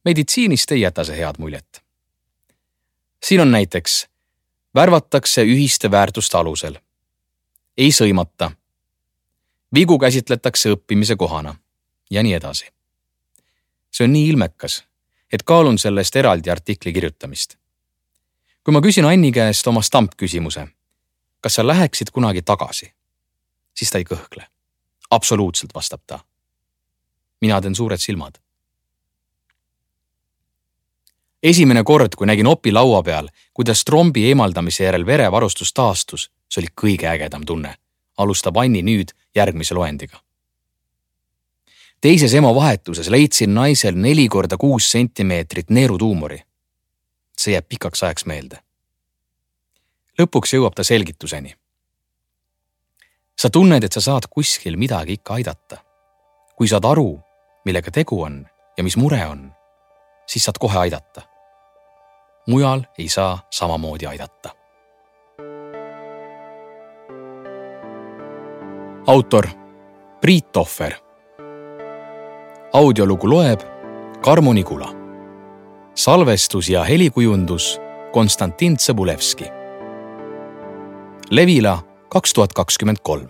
Meditsiinist ei jäta see head muljet. Siin on näiteks värvatakse ühiste väärtuste alusel. Ei sõimata. Vigu käsitletakse õppimise kohana ja nii edasi. See on nii ilmekas, et kaalun sellest eraldi artikli kirjutamist. Kui ma küsin Anni käest oma stampküsimuse, kas sa läheksid kunagi tagasi, siis ta ei kõhkle. Absoluutselt, vastab ta. Mina teen suured silmad. Esimene kord, kui nägin opi laua peal, kuidas trombi eemaldamise järel verevarustus taastus, see oli kõige ägedam tunne. Alustab Anni nüüd järgmise loendiga. Teises emo vahetuses leidsin naisel neli korda kuus sentimeetrit neerutuumori. See jääb pikaks ajaks meelde. Lõpuks jõuab ta selgituseni. Sa tunned, et sa saad kuskil midagi ikka aidata. Kui saad aru, millega tegu on ja mis mure on, siis saad kohe aidata. Mujal ei saa samamoodi aidata. Autor Priit Tohver. Audiolugu loeb Karmo Nigula. Salvestus ja helikujundus Konstantin Tsõbulevski. Levila kaks tuhat kakskümmend kolm.